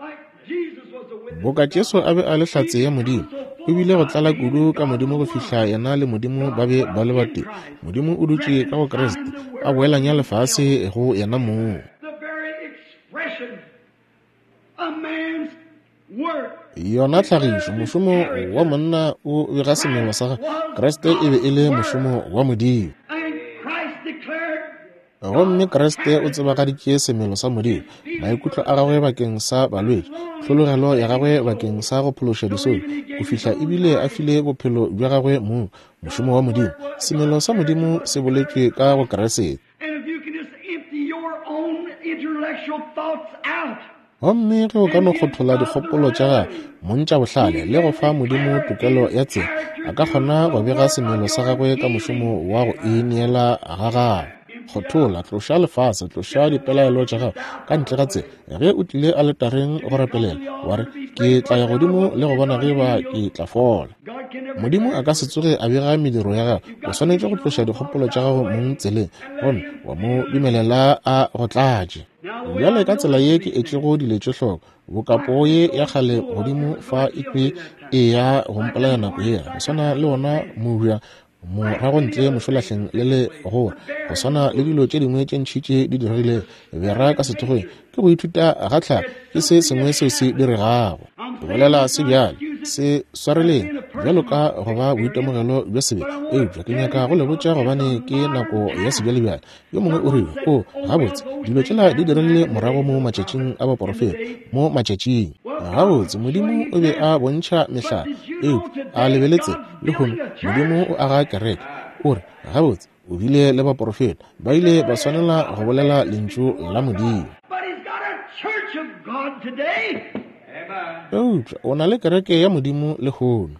Boka Jesu a be a le hlatse ya Modimo, o bile go tlala kudu ka Modimo go fihla yena le Modimo ba be ba le batee. Modimo o dutše ka go Kriste, a boelanya lefase go yena mong. Yona tlhagišo, mošomo wa monna o bega semelo sa gagwe. Kriste e be e le mošomo wa Modimo. Gomme Kriste o tsebagaditše semelo sa Modimo, maikutlo a gagwe bakeng sa balwetši, tlhologelo ya gagwe bakeng sa go phološa disolo, go fihla ebile a file bophelo bja gagwe mong, mošomo wa Modimo. Semelo sa Modimo se boletšwe ka go Kriste. Gomme ge o ka no kgothola dikgopolo tša gagwe montša bohlale le go fa Modimo tokelo ya tsela, a ka kgona go bega semelo sa gagwe ka mošomo wa go ineela ga gagwe. Kgothola, tloša lefase, tloša dipelaelo tša gago ka ntle ga tsela. Ge o tlile aletareng go rapelela, wa re, ke tla ya godimo le go bona ge ba ke tla fola. Modimo a ka se tsoge a bega mediro ya gago. O swanetše go tloša dikgopolo tša gago mong tseleng, gomme wa mo dumelela a go tlatše. Bjale ka tsela ye ke etšego dilo tše hloko, bokapo ye ya kgale godimo fa e kwe e ya go mpolaya nako yela, go swana le wona mobja morago ntle mošolahleng le le gore, go swana le dilo tše dingwe tše ntši tše di diregilego bera ka sethokgweng, ke go ithuta ga tlhago, ke se sengwe seo se diregago. Go bolela se bjale, se swareleng bjalo ka go ba boitemogelo bja sebe, eupša ke nyaka go le botša gobane ke nako ya sebjalebjale. Yo mongwe o rile, o gabotse, dilo tšela di diregile morago mo matšatšing a baporofeta, mo matšatšing. Gabotse, Modimo o be a bontšha mehlala, eupša a lebeletse lehono Modimo o aga kereke. O re, gabotse, o bile le baporofeta, ba ile ba swanela go bolela lentšu la Modimo. Eupša o na le kereke ya Modimo lehono.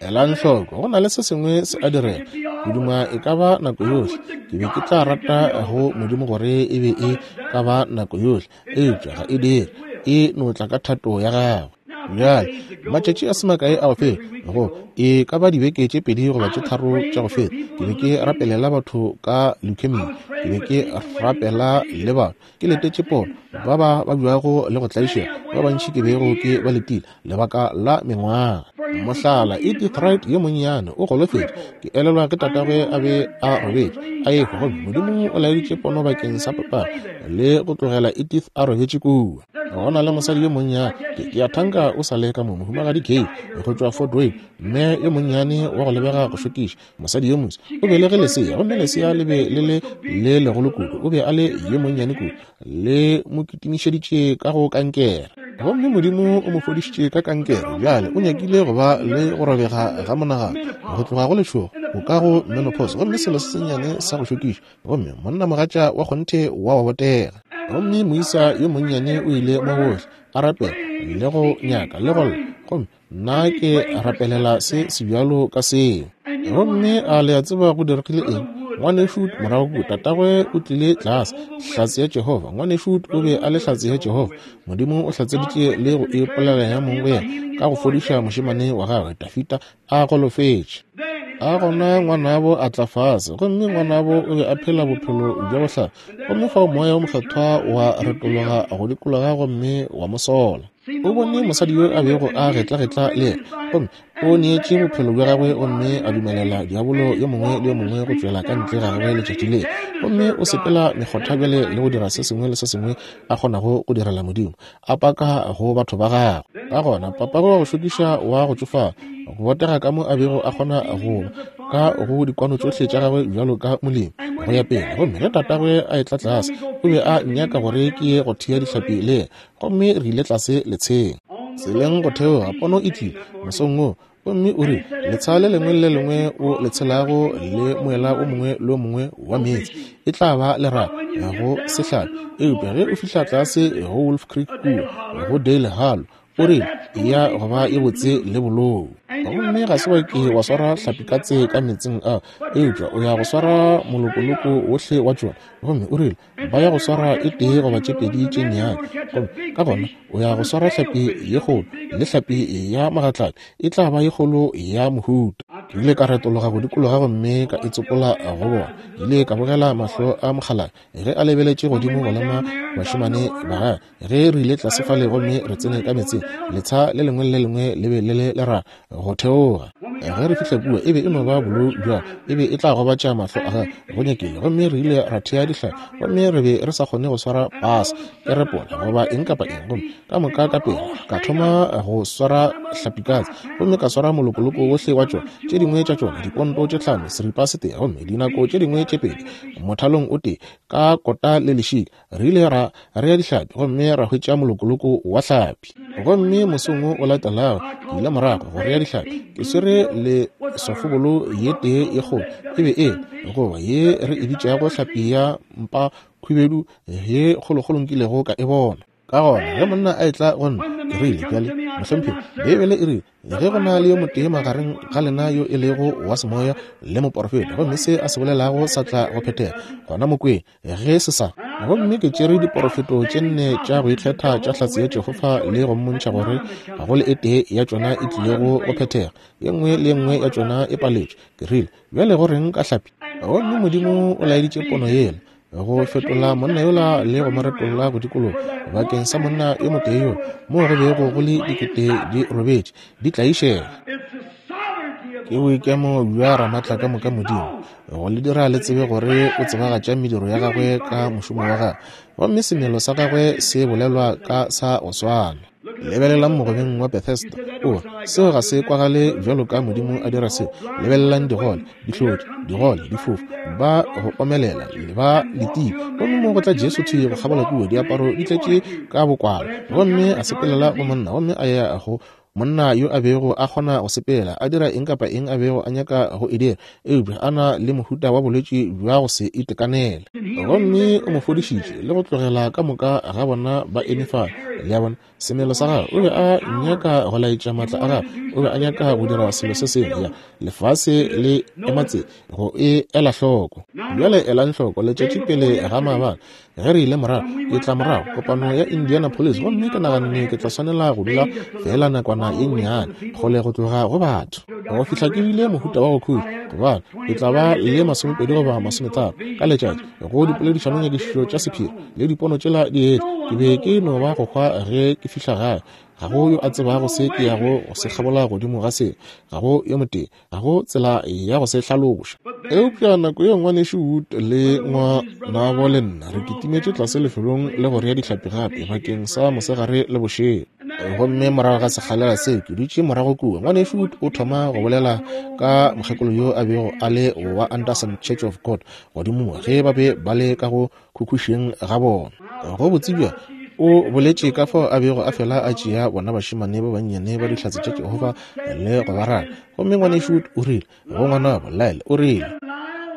Elang hloko, go na le se sengwe se a direga. Ke duma e ka ba nako yohle. Ke be ke tla rata go Modimo gore e be e ka ba nako yohle, eupša ga e dire. E no tla ka thato ya gagwe. Bjale, matšatši a se makae a go feta, go e ka ba dibeke tše pedi goba tše tharo tša go feta, ke be ke rapelela batho ka leukemia. Ke be ke rapela le batho, ke letetše pono, ba ba babjago le go tlaišega, ba bantši ke bego ke ba letile lebaka la mengwaga. Mohlala, Edith Wright yo monnyane o golofetše. Ke elelwa ke tatagwe a be a robetše a ehwa, gomme Modimo o laeditše pono bakeng sa papagwe le go tlogela Edith a robetše kua. Go na le mosadi yo monnyane, ke, ke a thanka o sa le ka mo, mohumagadi Gay go tšwa Fort Wayne, mme yo monnyane wa go lebega go šokiša, mosadi yo moso. O belege lesea, gomme lesea le be le le le legolo kudu, o be a le yo monnyane kudu, le mo kitimišeditše ka go kankere. Gomme Modimo o mo fodišitše ka kankere. Bjale o nyakile go ba le go robega ga monagano, go tloga go letšhogo go ka go menopause, gomme selo se sennyane sa go šokiša, gomme monnamogatša wa kgonthe wa wa botega. Gomme moisa yo monnyane o ile mo gohle a rapela le go nyaka le go lla, gomme nna ke rapelela se sebjalo ka seo. Gomme a le a tseba go diregile eng? Ngwanešu morago kua, tatagwe o tlile tlase, hlatse ya Jehofa. Ngwanešu o be a le hlatse ya Jehofa. Modimo o hlatseditše le go ipolela ya mong go yena ka go fodiša mošemane wa gagwe Dafita a golofetše. A gona ngwanabo a tla fase, gomme ngwanabo o be a phela bophelo bja bohlale, gomme fao moya o mokgethwa wa retologa go dikologa gomme wa mo sola. O bone mosadi yo a bego a getlagetla le yena, gomme o neetše bophelo bja gagwe gomme a dumelela diabolo yo mongwe le yo mongwe go tšwela ka ntle ga gagwe letšatši le. Gomme o sepela mekgotha bjale le go dira se sengwe le se sengwe a kgonago go direla Modimo, a paka go batho ba gagwe. Ka gona papagwe wa go šokiša wa go tšofala, go botega ka mo a bego a kgona go ba ka go dikwano tšohle tša gagwe bjalo ka molemi go ya pele. Gomme ge tatagwe a etla tlase, o be a nnyaka gore ke ye go thea dihlapi le yena, gomme re ile tlase letsheng. Tseleng go theoga, pono e tlile mosong wo, gomme o rile, letsha le lengwe le lengwe o le tshelago le moela o mongwe le o mongwe wa meetse e tla ba lerato go sehlapi, eupša ge o fihla tlase go Wolf Creek kua go Dale Hollow, o rile ya go ba e botse le bolou. Gomme ga se wa ke wa swara hlapikatse ka meetseng a, eupša o ya go swara molokoloko wohle wa tšona. Gomme o rile ba ya go swara e tee goba tše pedi tše nnyane, gomme ka gona o ya go swara hlapi ye kgolo, le hlapi ya magatlapi e tla ba ye kgolo ya mohuta. Ke ile ka retologa go dikologa gomme ka itsopola go bona. Ke ile ka bogela mahlo a mokgalabje ge a lebeletše godimo go lema bašemane ba gagwe. Ge re ile tlase fale gomme re tsene ka meetseng, letsha le lengwe le le lengwe le be le le lerato go theoga. Ge re fihla kua, e be e no ba bolou bjalo, e be e tla gobatša mahlo a gagwe go nyakile. Gomme re ile ra thea dihlapi, gomme re be re sa kgone go swara pasa, kerepola goba eng kapa eng. Gomme ka moka ka pele ka thoma go swara hlapikatse, gomme ka swara molokoloko wohle wa tšona, tše dingwe tša tšona diponto tše hlano seripa se tee, gomme dinako tše dingwe tše pedi mothalong o tee ka kota le lešika. Re ile ra rea dihlapi gomme ra hwetša molokoloko wa hlapi. Gomme mosong wo o latelago ke ile morago go rea dihlapi, ke swere le sofobolo ye tee ye kgolo, e be e goba ye re e bitšago hlapi ya mpa khubedu ye kgolokgolo nkilego ka e bona. Ka gona ge monna a etla go nna, ke rile, bjale mohlomphegi, Beibele e rile ge go na le yo motee magareng ga lena yo e lego wa semoya le moporofeta, gomme se a se bolelago sa tla go phethega, gona mo kweng ge se sa. Gomme ke tšere diporofeto tše nne tša go ikgetha tša hlatse ya Jehofa le go mmontšha gore ga go le e tee ya tšona e tlilego go phethega, ye nngwe le ye nngwe ya tšona e paletšwe. Ke rile, bjale go reng ka hlapi? Gomme Modimo o laeditše pono yela go fetola monna yola le go mo retolla go dikologa bakeng sa monna yo motee yo moo go bego go le dikete di robetše di tlaišega. Ke boikemo bja Ramaatla ka moka Modimo go le dira le tsebe gore o tsebagatša mediro ya gagwe ka mošomo wa gagwe, gomme semelo sa gagwe se bolelwa ka sa go swana. Lebelelang mogobeng wa Bethesda. O, seo ga se kwagale bjalo ka Modimo a dira seo. Lebelelang digole, dihlodi, digole, difofu, ba go omelela, ba letile. Gomme mo go tla Jesu thwi go kgabola kua, diaparo di tletše ka bokwala. Gomme a sepelela go monna, gomme a ya go Monna yo a bego a kgona go sepela, a dira eng kapa eng a bego a nyaka go e dira, eupša a na le mohuta wa bolwetši bja go se itekanele. Gomme o mo fodišitše le go tlogela ka moka ga bona ba eme fale. Le a bona, semelo sa gagwe, o be a nyaka go laetša maatla a gagwe, o be a nyaka go dira selo se sengwe. Ya lefase le ematse go e ela hloko. Bjale elang hloko, letšatši pele ga maabane ge re ile morago, ke tla morago kopano ya Indianapolis, gomme ke naganne ke tla swanela go dula fela nakwana ye nnyane kgole go tloga go batho go fihla ke bile mohuta wa go khutša, gobane ke tla ba le masomepedi goba masometharo ka letšatši go dipoledišanonyakišišo tša sephiri le dipono tšela di etla. Ke be ke no ba go hwa ge ke fihla gae. Ga go yo a tsebago se ke yago go se kgabola godimo ga se, ga go yo motee, ga go tsela ya go se hlaloša. Eupša nako ye ngwanešu Wood le ngwanabo le nna re kitimetše tlase lefelong le go rea dihlapi gape bakeng sa mosegare le bošego. Gomme morago ga sekgalela se ke dutše morago kua, ngwanešu Wood o thoma go bolela ka mokgekolo yo a bego a le wa Anderson Church of God godimo mo ge ba be ba le ka go khukhušeng ga bona. Go botsebja o boletše ka fao a bego a fela a tšea bona bašemane ba bannyane ba dihlatse tša Jehofa le go ba rata. Gomme ngwanešu o rile go ngwanabo Lyle, o rile,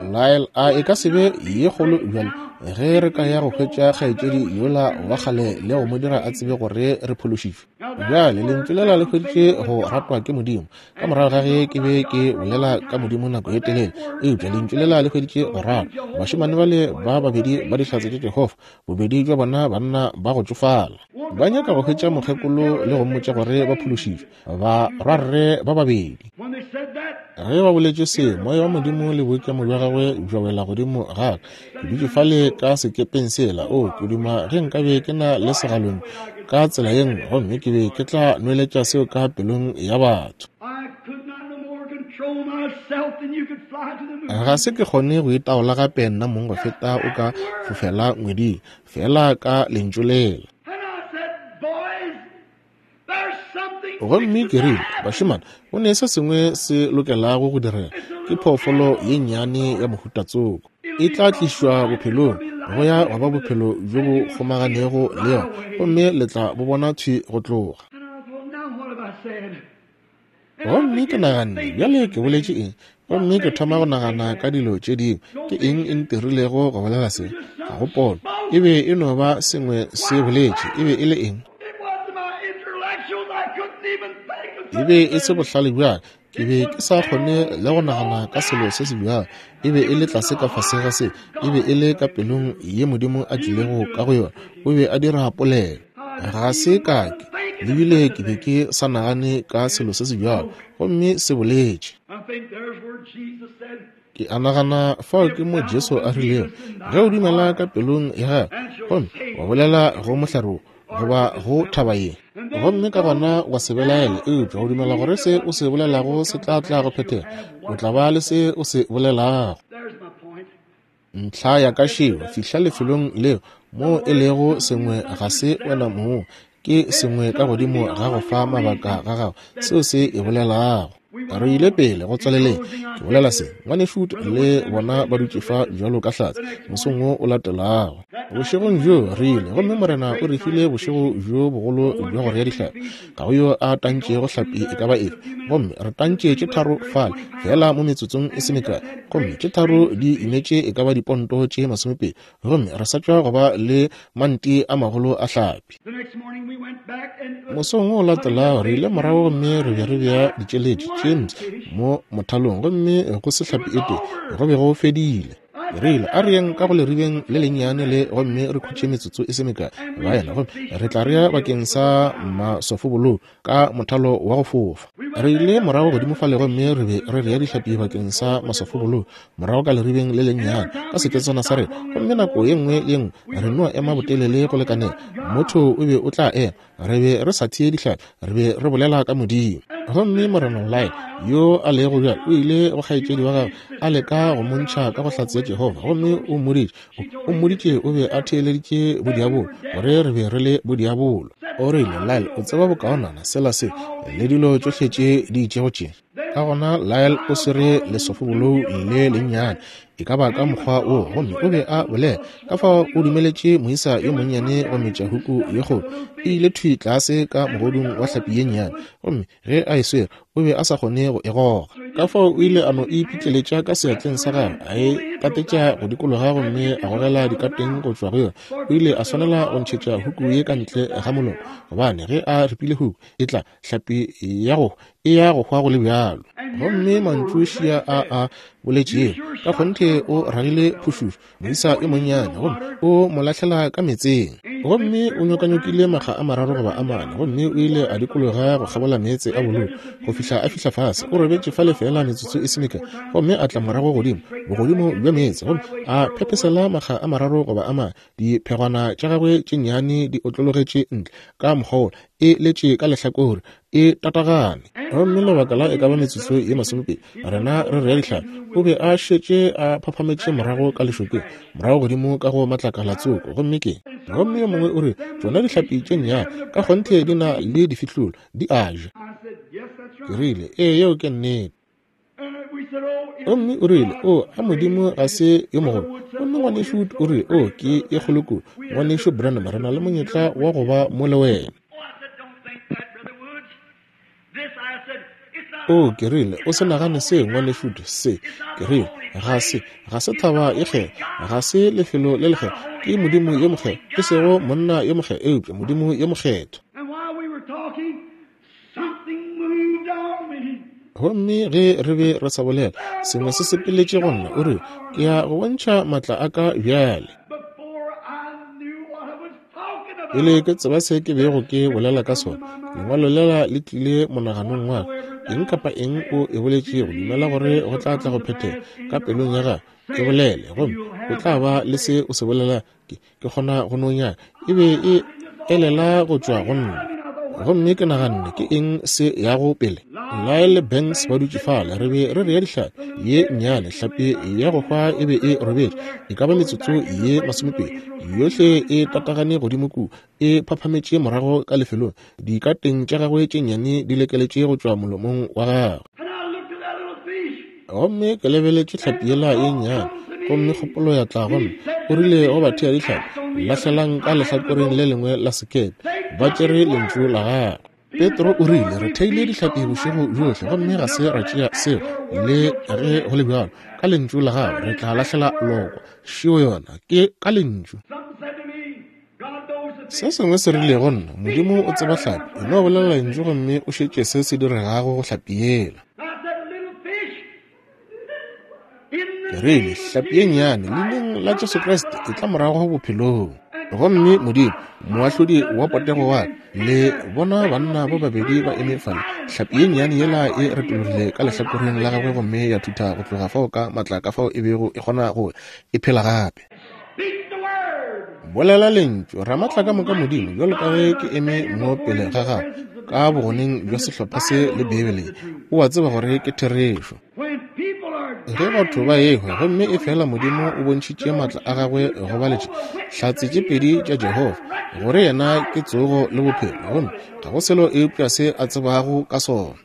Lyle, a e ka se be ye kgolo bjale ge re ka ya go hwetša kgaetšedi yola wa kgale le go mo dira a tsebe gore re phološitšwe? Bjale lentšu lela le hweditše go ratwa ke Modimo ka morago ga ge ke be ke bolela ka Modimo nako ye telele, eupša lentšu lela le hweditše go ratwa. Bašemane bale ba babedi ba dihlatse tša Jehofa, bobedi bja bona banna ba go tšofala, ba nyaka go hwetša mokgekolo le go mmotša gore ba phološitšwe, ba rwarre ba babedi. Ge ba boletše se, moya wa Modimo le boikemo bja gagwe bja wela godimo ga ka. Ke dutše fale ka sekepeng sela, o ke duma ge nkabe ke na le segalong ka tsela ye nngwe, gomme ke be ke tla nweletša seo ka pelong ya batho. Ga se ke kgone go itaola gape nna mong go feta o ka fofela ngweding, fela ka lentšu lela. Gomme ke rile, bašemane, go ne se sengwe se lokelago go direga, ke phoofolo ye nnyane ya mohuta tsoko. E tla tlišwa bophelong, go ya go ba bophelo bjo bo kgomaganego le yona, gomme le tla bo bona thwi go tloga. Gomme ke naganne, bjale ke boletše eng? Gomme ke thoma go nagana ka dilo tše dingwe. Ke eng e ntirilego go bolela se? Ga go pono. E be e no ba sengwe se boletše. E be e le eng? E be e se bohlale bjaka. Ke be ke sa kgone le go nagana ka selo se se bjalo. E be e le tlase ka fase ga se. E be e le ka pelong ye Modimo a tlilego ka go yona. O be a dira polelo. Ga se ka ke lebile ke be ke sa nagane ka selo se se bjalo, gomme se boletše. Ke a nagana fao ke mo Jesu a rilego, ge o dumela ka pelong ya gago gomme wa bolela go mohlare wo goba go thaba ye, gomme ka gona wa se belaele, eupša o dumela gore se o se bolelago se tla tla go phethega, o tla ba le se o se bolelago. Ntlha ya ka šeo, fihla lefelong leo moo e lego sengwe ga se wena mong, ke sengwe ka godimo ga go fa mabaka ga gago seo se e bolelago. Re ile pele go tswaleleng. Ke bolela se, ngwanešu le bona ba dutše fa bjalo ka hlatse mosong wo o latelago. Bošegong bjo re ile, gomme Morena o re file bošego bjo bogolo bja go rea dihlapi. Ga go yo a tantšego hlapi e ka ba efe, gomme re tantše tše tharo fale fela mo metsotsong e se mekae, gomme tše tharo di imetše e ka ba diponto tše masomepedi, gomme re sa tšwa go ba le manti a magolo a hlapi. Mosong wo o latelago re ile morago gomme re be re bea ditšeletši James mo mothalong, gomme go se hlapi e tee, go be go fedile. Re ile a re yeng ka go leribeng le lennyane le, gomme re khutše metsotso e se mekae baena, gomme re tla rea bakeng sa masofobolou ka mothalo wa go fofa. Re ile morago godimo fale gomme re be re rea dihlapi bakeng sa masofobolou morago ka leribeng le lennyane ka seketswana sa rena, gomme nako ye nngwe le ye nngwe re no ema botelele go lekanela, motho o be o tla ema. Re be re sa thee dihlapi, re be re bolela ka Modimo. Gomme Morena Lyle yo a lego bjalo o ile go kgaetšedi wa gagwe a leka go montšha ka go hlatse ya Jehofa, gomme o mmoditše o mmoditše o be a theeleditše bodiabolo, gore re be re le bodiabolo. O rile, Lyle, o tseba bokaonana sela se le dilo tšohle tše di itšego tše. Ka gona Lyle o swere lesofobolou le lennyane, e ka ba ka mokgwa wo, gomme o be a bolela. Ka fao o dumeletše moisa yo monnyane go metša huku ye kgolo. E ile thwi tlase ka mogodung wa hlapi ye nnyane, gomme ge a e swere o be a sa kgone go e goga. Ka fao o ile a no e pitleletša ka seatleng sa gagwe, a e tatetša go dikologa gomme a gogela dikateng go tšwa go yona. O ile a swanela go ntšhetša huku ye ka ntle ga molomo, gobane ge a ripile huku e tla hlapi ya go e ya go hwa go le bjalo. Gomme mantšu šia a a boletšego ka kgonthe o ragile phušušo moisa yo monnyane, gomme o mo lahlela ka meetseng. Gomme o nyokanyokile makga a mararo goba a mane, gomme o ile a dikologa go kgabola meetse a bolou go fihla a fihla fase. O robetše fale fela metsotso e se mekae, gomme a tla morago godimo bogodimo bja meetse, gomme a phepesela makga a mararo goba a mane. Diphegwana tša gagwe tše nnyane di otlologetše ntle ka mokgwa wola, e letše ka lehlakore, e tatagane. Gomme lebaka la e ka ba metsotso ye masomepedi rena re rea dihlapi, o be a šetše a phaphametše morago ka lešokeng, morago godimo ka go matlakala tsoko. Gomme ke gomme yo mongwe o re tšona dihlapi tše nnyane ka kgonthe di na le difihlolo, di a ja. Ke rile, ee, yeo ke nnete. Gomme o rile, o a Modimo ga se yo mogolo. Gomme ngwanešu o rile, o ke e kgolo kudu. Ngwanešu Branham, re na le monyetla wa go ba mo le wena. O ke rile, o se nagane se, ngwanešu, se. Ke rile, ga se, ga se thaba e kgethwa, ga se lefelo le lekgethwa, ke Modimo yo mokgethwa, e sego monna yo mokgethwa, eupša Modimo yo mokgethwa. Gomme ge re be re sa bolela, sengwe se sepeletše go nna. O rile, ke ya go bontšha maatla a ka bjale. Pele ke tseba se ke bego ke bolela ka sona, lengwalo lela le tlile monaganong wa ka. Eng kapa eng o e boletšego, dumela gore go tla tla go phethega ka pelong ya gago. E bolele, gomme o tla ba le se o se bolela. Ke ke kgona go no nyaka. E be e elela go tšwa go nna. Gomme ke naganne, ke eng se yago pele? Lyle Banks ba dutše fale, re be re rea dihlapi ye nnyane. Hlapi ya go hwa e be e robetše e ka ba metsotso ye masomepedi, yohle e tatagane godimo kua, e phaphametše morago ka lefelong, dikateng tša gagwe tše nnyane di lekeletše go tšwa molomong wa gagwe. Gomme ke lebeletše hlapi yela ye nnyane, gomme kgopolo ya tla go nna. O rile go bathea dihlapi, lahlelang ka lehlakoreng le lengwe la sekepe. Ba tšere lentšu la gagwe. Petro o rile, re theile dihlapi bošego bjohle, gomme ga se ra tšea seo. Le ge go le bjalo, ka lentšu la gago re tla lahlela lokwa. Šeo yona, ke ka lentšu. Se sengwe se rile go nna, Modimo o tseba hlapi, e no bolela lentšu gomme o šetše se se diregago go hlapi yela. Ke rile, hlapi ye nnyane, leineng la Jesu Kriste, e tla morago bophelong. Gomme Modimo, moahlodi wa potego wa ka, le bona banna ba babedi ba eme fale. Hlapi ye nnyane yela e retologile ka lehlakoreng la gagwe gomme ya thutha go tloga fao ka maatla ka fao e bego e kgona go e phela gape. Bolela lentšu, Ramaatla ka moka Modimo, bjalo ka ge ke eme mo pele ga gago ka bogoneng bja sehlopha se le Bibele, o a tseba gore ke therešo. Ge batho ba ehwa, gomme e fela Modimo o bontšhitše maatla a gagwe go ba letše hlatse tše pedi tša Jehofa, gore yena ke tsogo le bophelo, gomme ga go selo eupša se a tsebago ka sona.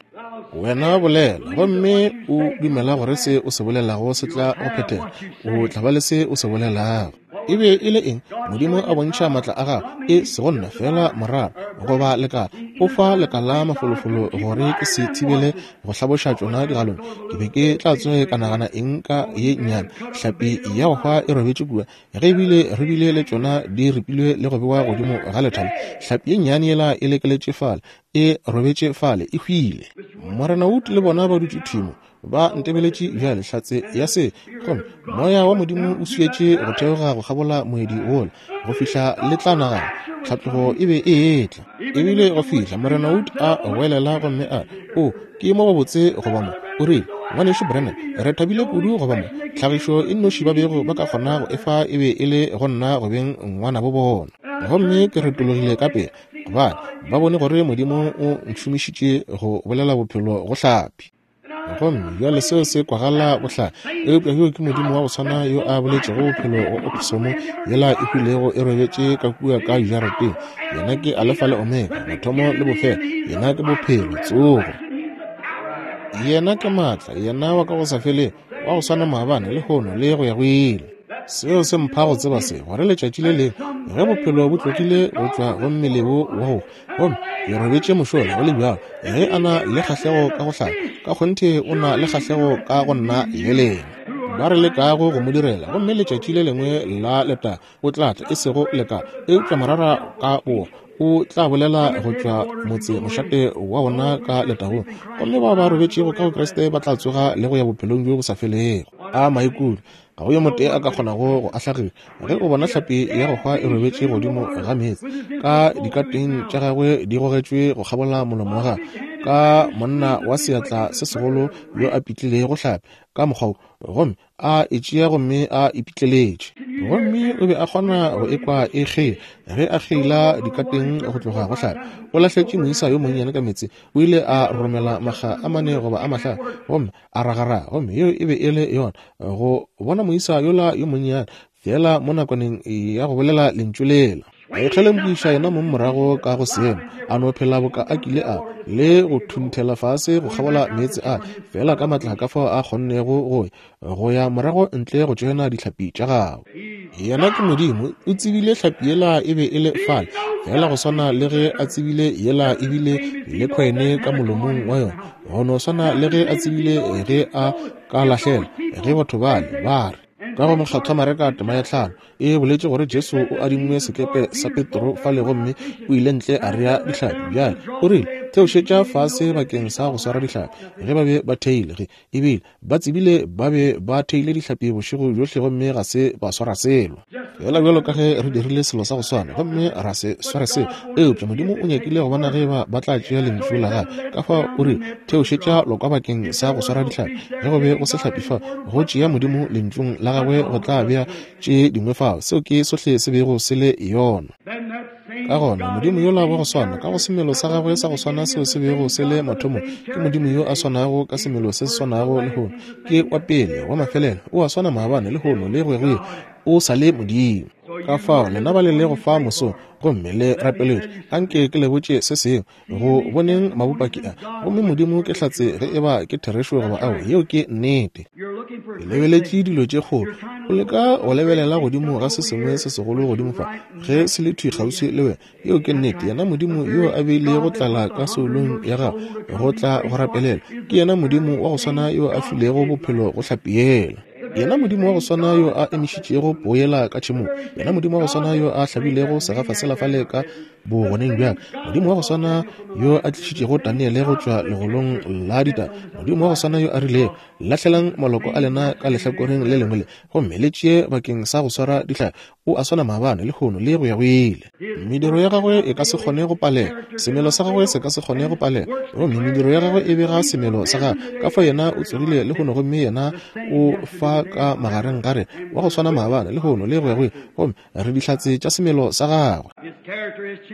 Wena bolela, gomme o dumela gore se o se bolelago se tla go phethega, o tla ba le se o se bolelago. E be e le eng? Modimo a bontšha maatla a gagwe, e sego nna fela morara goba lekala, o fa lekala mafolofolo gore ke se thibele go hlaboša tšona digalong. Ke be ke tla tsoge ka nagana eng ka ye nnyane hlapi ya go hwa e robetše kua, ge ebile re bile le tšona di ripilwe le go bewa godimo ga lethale. Hlapi ye nnyane yela e lekeletše fale, e robetše fale, e hwile. Morena Wood le bona ba dutše thimo, ba ntebeletše bjale, hlatse ya se. Gomme moya wa Modimo o swietše go theoga go kgabola moedi wola go fihla le tla nagana tlhatlogo e be e etla. Ebile go fihla Morena Wood a goelela gomme a re, o ke mo gobotse go ba mo. O rile, ngwanešu Branham, re thabile kudu go ba mo. Tlhagišo e nnoši ba bego ba ka kgona go efa e be e le go nna go beng ngwana bo bona. Gomme ke retologile ka pele, gobane ba bone gore Modimo o ntšhomišitše go bolela bophelo go hlapi. Gomme bjale seo se kwagala bohlale, eupša yo ke Modimo wa go swana yo a boletšego bophelo go oposomo yela e hwilego e robetše ka kua ka jarateng. Yena ke Alfa le Omega, mathomo le bofelo. Yena ke bophelo, tsogo. Yena ke maatla, yena wa ka go sa felego. Wa go swana maabane, lehono, le go ya go ile. Seo se mpha go tseba se, gore letšatši le lengwe ge bophelo bo tlogile go tšwa go mmele wo wa go, gomme ke robetše mošola go le bjalo, ge a na le kgahlego ka go hlaba, ka kgonthe o na le kgahlego ka go nna le lena ba re lekago go mo direla. Gomme letšatši le lengwe la leta o tla tla, e sego leka, eupša morara ka boa o tla bolela go tšwa motse mošate wa bona ka letagong, gomme bao ba robetšego ka go Kriste ba tla tsoga le go ya bophelong bjo bo sa felego. A maikutlo! Ga go yo motee a ka kgonago go ahlagiša ge o bona hlapi ya go hwa e robetše godimo ga meetse, ka dikateng tša gagwe di gogetšwe go kgabola molomo wa gagwe, ka monna wa seatla se segolo yo a pitlilego hlapi ka mokgwa wo, gomme a e tšea gomme a ipitleletše. Gomme o be a kgona go ekwa e kgeila ge a kgeila dikateng go tloga go hlapi. O lahletše moisa yo monnyane ka meetse, o ile a romela makga a mane goba a mahlano, gomme a ragaraga, gomme yeo e be e le yona go bona moisa yola yo monnyane fela mo nakwaneng ya go bolela lentšu lela. A ikgelempiša yena mong morago ka go seemo, a no phela boka a kile a le go thunthela fase go kgabola meetse a fela ka matla ka fao a kgonnego go go ya morago ntle go tšoena dihlapi tša gagwe. Yena ke Modimo, o tsebile hlapi yela e be e le fale, fela go swana le ge a tsebile yela ebile le khwene ka molomong wa yona, go no swana le ge a tsebile ge a ka lahlela ge batho bale ba re. Ka go Mokgethwa Mareka tema ya tlhano e boletše gore Jesu o adingwe sekepe sa Petro fale, gomme o ile ntle a rea dihlapi. Bjale o rile, theošetša fase bakeng sa go swara dihlapi. Ge ba be ba theile, ge ebile ba tsebile ba be ba theile dihlapi bošego bjohle, gomme ga se ba swara selo. Fela bjalo ka ge re dirile selo sa go swana, gomme ra se sware selo, eupša Modimo o nyakile go bona ge ba ba tla tšea lentšu la gagwe. Ka fao o rile, theošetša lokwa bakeng sa go swara dihlapi. Ge go be go se hlapi fa, go tšea Modimo lentšung la gagwe go tla bea tše dingwe fao. Seo ke sohle se bego se le yona. Ka gona Modimo yola wa go swana, ka go semelo sa gagwe sa go swana seo se bego se le mathomong, ke Modimo yo a swanago ka semelo se se swanago lehono. Ke wa pele, wa mafelelo, o a swana maabane, lehono, le go ya go ile. O sa le Modimo. Ka fao lena ba le lego fa mosong gomme le rapeletše, anke ke le botše se sengwe go boneng mabopaki a, gomme Modimo ke hlatse ge eba ke therešo goba ao, yeo ke nnete. Ke lebeletše dilo tše kgolo. O leka go lebelela godimo ga se sengwe se segolo godimo fa, ge se le thwi kgauswi le wena, yeo ke nnete. Yena Modimo yo a beilego tlala ka soulong ya gago go tla go rapelela, ke yena Modimo wa go swana yo a filego bophelo go hlapi yela. Yena Modimo wa go swana yo a emišitšego poela ka tšhemong, yena Modimo wa go swana yo a hlabilego segafa sela fale ka bogoneng bjaka, Modimo wa go swana yo a tlišitšego Daniele go tšwa legolong la ditaba, Modimo wa go swana yo a rilego, lahlelang maloko a lena ka lehlakoreng le lengwe le, gomme le tšee bakeng sa go swara dihlapi, o a swana maabane, lehono, le go ya go ile. Mediro ya gagwe e ka se kgone go palela, semelo sa gagwe se ka se kgone go palela, gomme mediro ya gagwe e bega semelo sa gagwe. Ka fao yena o tsogile lehono, gomme yena o fa ka magareng ga rena, wa go swana maabane, lehono, le go ya go ile, gomme re dihlatse tša semelo sa gagwe.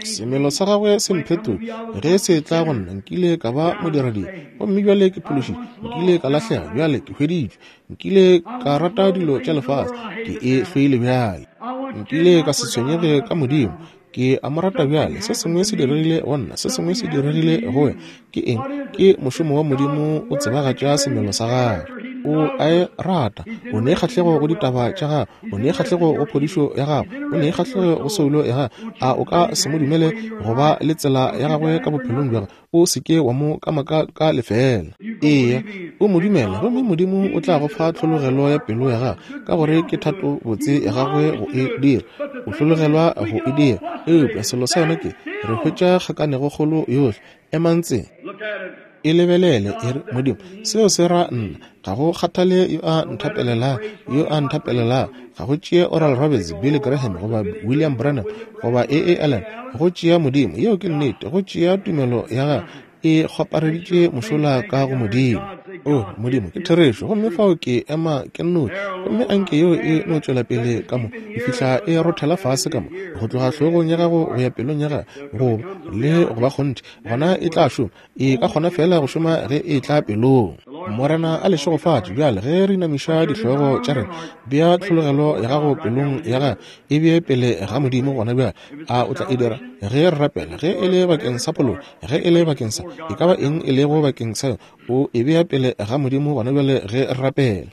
Semelo sa gagwe se mphetotše ge se tla go nna. Nkile ka ba modiradibe, gomme bjale ke phološitšwe. Nkile ka lahlega, bjale ke hweditšwe. Nkile ka rata dilo tša lefase, ke e hloile bjale. Nkile ka se tshwenyege ka Modimo, ke a mo rata bjale. Se sengwe se diregile go nna, se sengwe se diregile go wena. Ke eng? Ke mošomo wa Modimo o tsebagatša semelo sa gagwe. O a e rata, o ne kgahlego go ditaba tša gagwe, o ne kgahlego go phodišo ya gagwe, o ne kgahlego go soulo ya gagwe. A o ka se mo dumele go ba le tsela ya gagwe ka bophelong bja gagwe? O se ke wa mo kamaka ka lefela. Eya, o mo dumele, gomme Modimo o tla go fa tlhologelo ya pelo ya gagwe, ka gore ke thato botse ya gagwe go e dira. O hlologelwa go e dira. Eupša selo sa yona ke, re hwetša kgakanego kgolo yohle. Emang tseng, e lebelele, e re, Modimo, seo se ra nna. Ga go kgathale yo a nthapelelang, yo a nthapelelang. Ga go tšee Oral Roberts, Billy Graham, goba William Branham, goba A A Allen. Go tšea Modimo. Yeo ke nnete. Go tšea tumelo ya gagwe e kgwapareditše mošola ka go Modimo. O Modimo, ke therešo. Gomme fao ke ema ke nnoši, gomme anke yeo e no tšwela pele ka mo e fihla e rothela fase ka mo, go tloga hlogong ya gago go ya pelong ya gago, go le go ba kgonthe, gona e tla šoma. E ka kgona fela go šoma ge e tla pelong. Morena a le šegofatše bjale ge re inamiša dihlogo tša rena. Bea tlhologelo ya gago pelong ya gago, e bee pele ga Modimo gona bjale. A o tla e dira ge re rapela? Ge e le bakeng sa poloko, ge e le bakeng sa e ka ba eng e lego bakeng sa yona, o e bea pele ga Modimo gona bjale ge re rapela.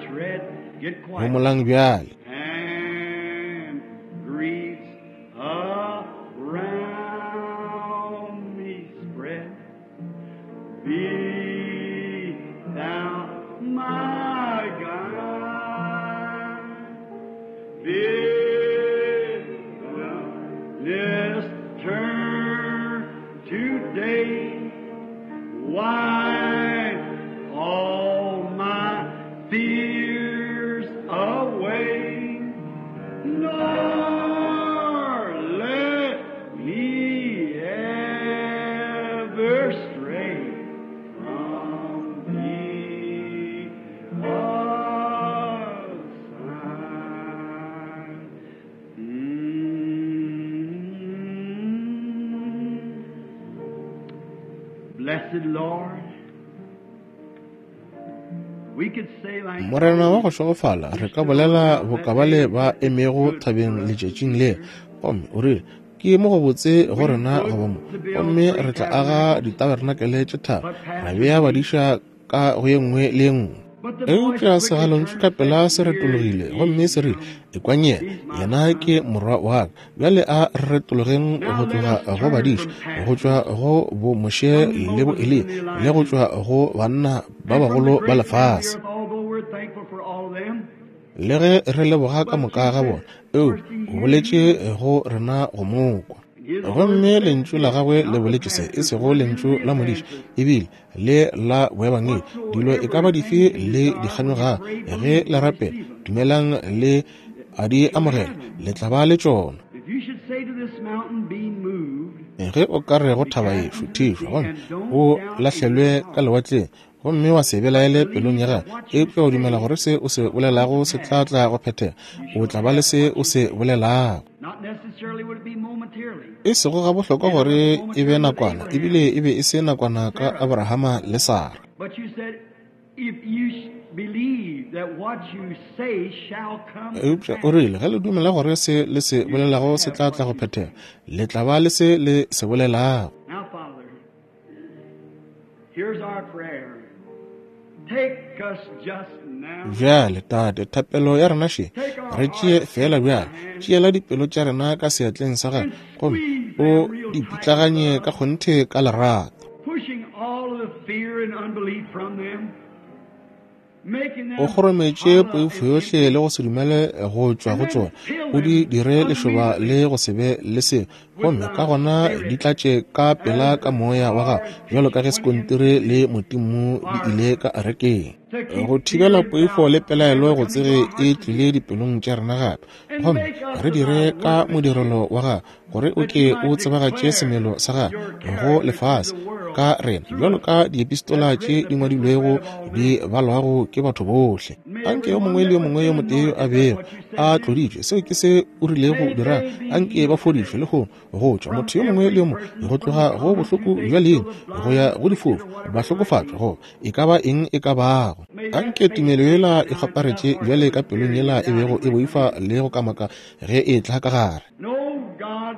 tread. Get quiet. Homolang bjale. And griefs around me spread. Be thou my guide. Bid this turn today. Wipe all my fears away. Nor let me ever stray from thee aside. Mm. Blessed Lord, we could say like Morena wa go šegofala, re ka bolela bokabale ba emego thabeng letšatšing le, gomme o rile, ke mo go botse go rena go ba mo, gomme re tla aga ditabernakele tše tharo, ra bea badiša ka go ye nngwe le ye nngwe. But the voice Eupša quickly segalontšu turned ka and pela said, se Here retologile, gomme ye se rile, come. ekwang yena, yena ke morwa wa ka. Bjale a re retologeng Now go let tloga us go turn badiša, from go tšwa pastors, go bo Moshe from le bo Moses Eliya, and le go Elijah, tšwa go banna ba and from the bagolo ba great men of the lefase. earth, although we're thankful for all of them. Le ge re leboga ka But moka you ga said bona, eo first he o hear boletše you, go rena go mo kwa. and his word Gomme says lentšu la this, gagwe le not the boletše se, e pastors, sego not lentšu the la modiši, evangelists. ebile le la boebangedi. Dilo e ka ba Whatsoever dife things you le desire when you dikganyoga pray, ge believe le you rapela, receive them. dumelang le a di You'll have amogela, them. le tla ba le tšona. If you should say to this mountain, be moved, Ge o ka re go be thaba cast ye, into the šuthišwa, sea, gomme and don't o doubt in your lahlelwe ka heart, lewatleng, gomme wa se belaele but pelong believe ya that gago, what you eupša o dumela say gore se o se shall come bolelago to se tla pass, tla go phethega, you o shall tla ba le have se what o you se say. bolelago. Not necessarily would it be momentarily. E sego gabohlokwa And it gore wasn't e be momentarily with nakwana, Abraham ebile e be e se nakwana ka Sarah. Abrahama le Sara. But you said, if you sh- believe that what you say shall come to Eupša o pass, rile, ge le dumela gore se le se you shall bolelago se have tla tla what go you phethega, say. le tla ba le se le se bolelago. Now, Father, here's our prayer. Take us just now. Bjale, Tate, thapelo ya rena še, Take our re tšee hearts fela in thy bjale, hand tšeela dipelo tša rena ka seatleng sa gagwe, and gomme squeeze o them real di tight with pitlaganye ka love, kgonthe ka lerato. pushing all of the fear and unbelief from them, making O them kgorometše hollow poifo and yohle empty, le go se dumele go tšwa and go then tšona, fill o di them dire lešoba immediately le go se be le selo, with gomme thy ka gona di Spirit tlatše ka pela as ka the moya wa gago, tar bjalo ka pitch ge went into sekontiri the le motimmu di ile ka arekeng. to keep Go fear thibela and poifo doubt le pelaelo ever go coming to tsege our e hearts tlile again, dipelong tša rena gape, and gomme make us re of dire thy ka workmanship, modirelo wa gago, gore o that ke you o might tsebagatše declare semelo sa gago your go character to lefase the world ka rena, through bjalo us, ka diepistola that's tše written di the epistle ngwadilwego read of all di men. balwago ke batho bohle. May Anke every yo one mongwe le that yo was mongwe yo been motee anointed a by bego what you said a do, tloditšwe, seo ke se o rilego may dira, they be anke ba healed fodišwe today lehono go tšwa from motho yo mongwe le every yo mongwe, person go from tloga the go common bohloko toothache bja till leino the go ya blind, go the difofu, afflicted, or whatever ba it might hlokofatšwa be. go e ka ba eng e ka bago. May that Anke faith tumelo take yela e now into thy kgwaparetše heart bjale that ka was pelong fearing yela and e bego doubting e might come boifa in. le go kamaka ge e tla ka gare. No, God,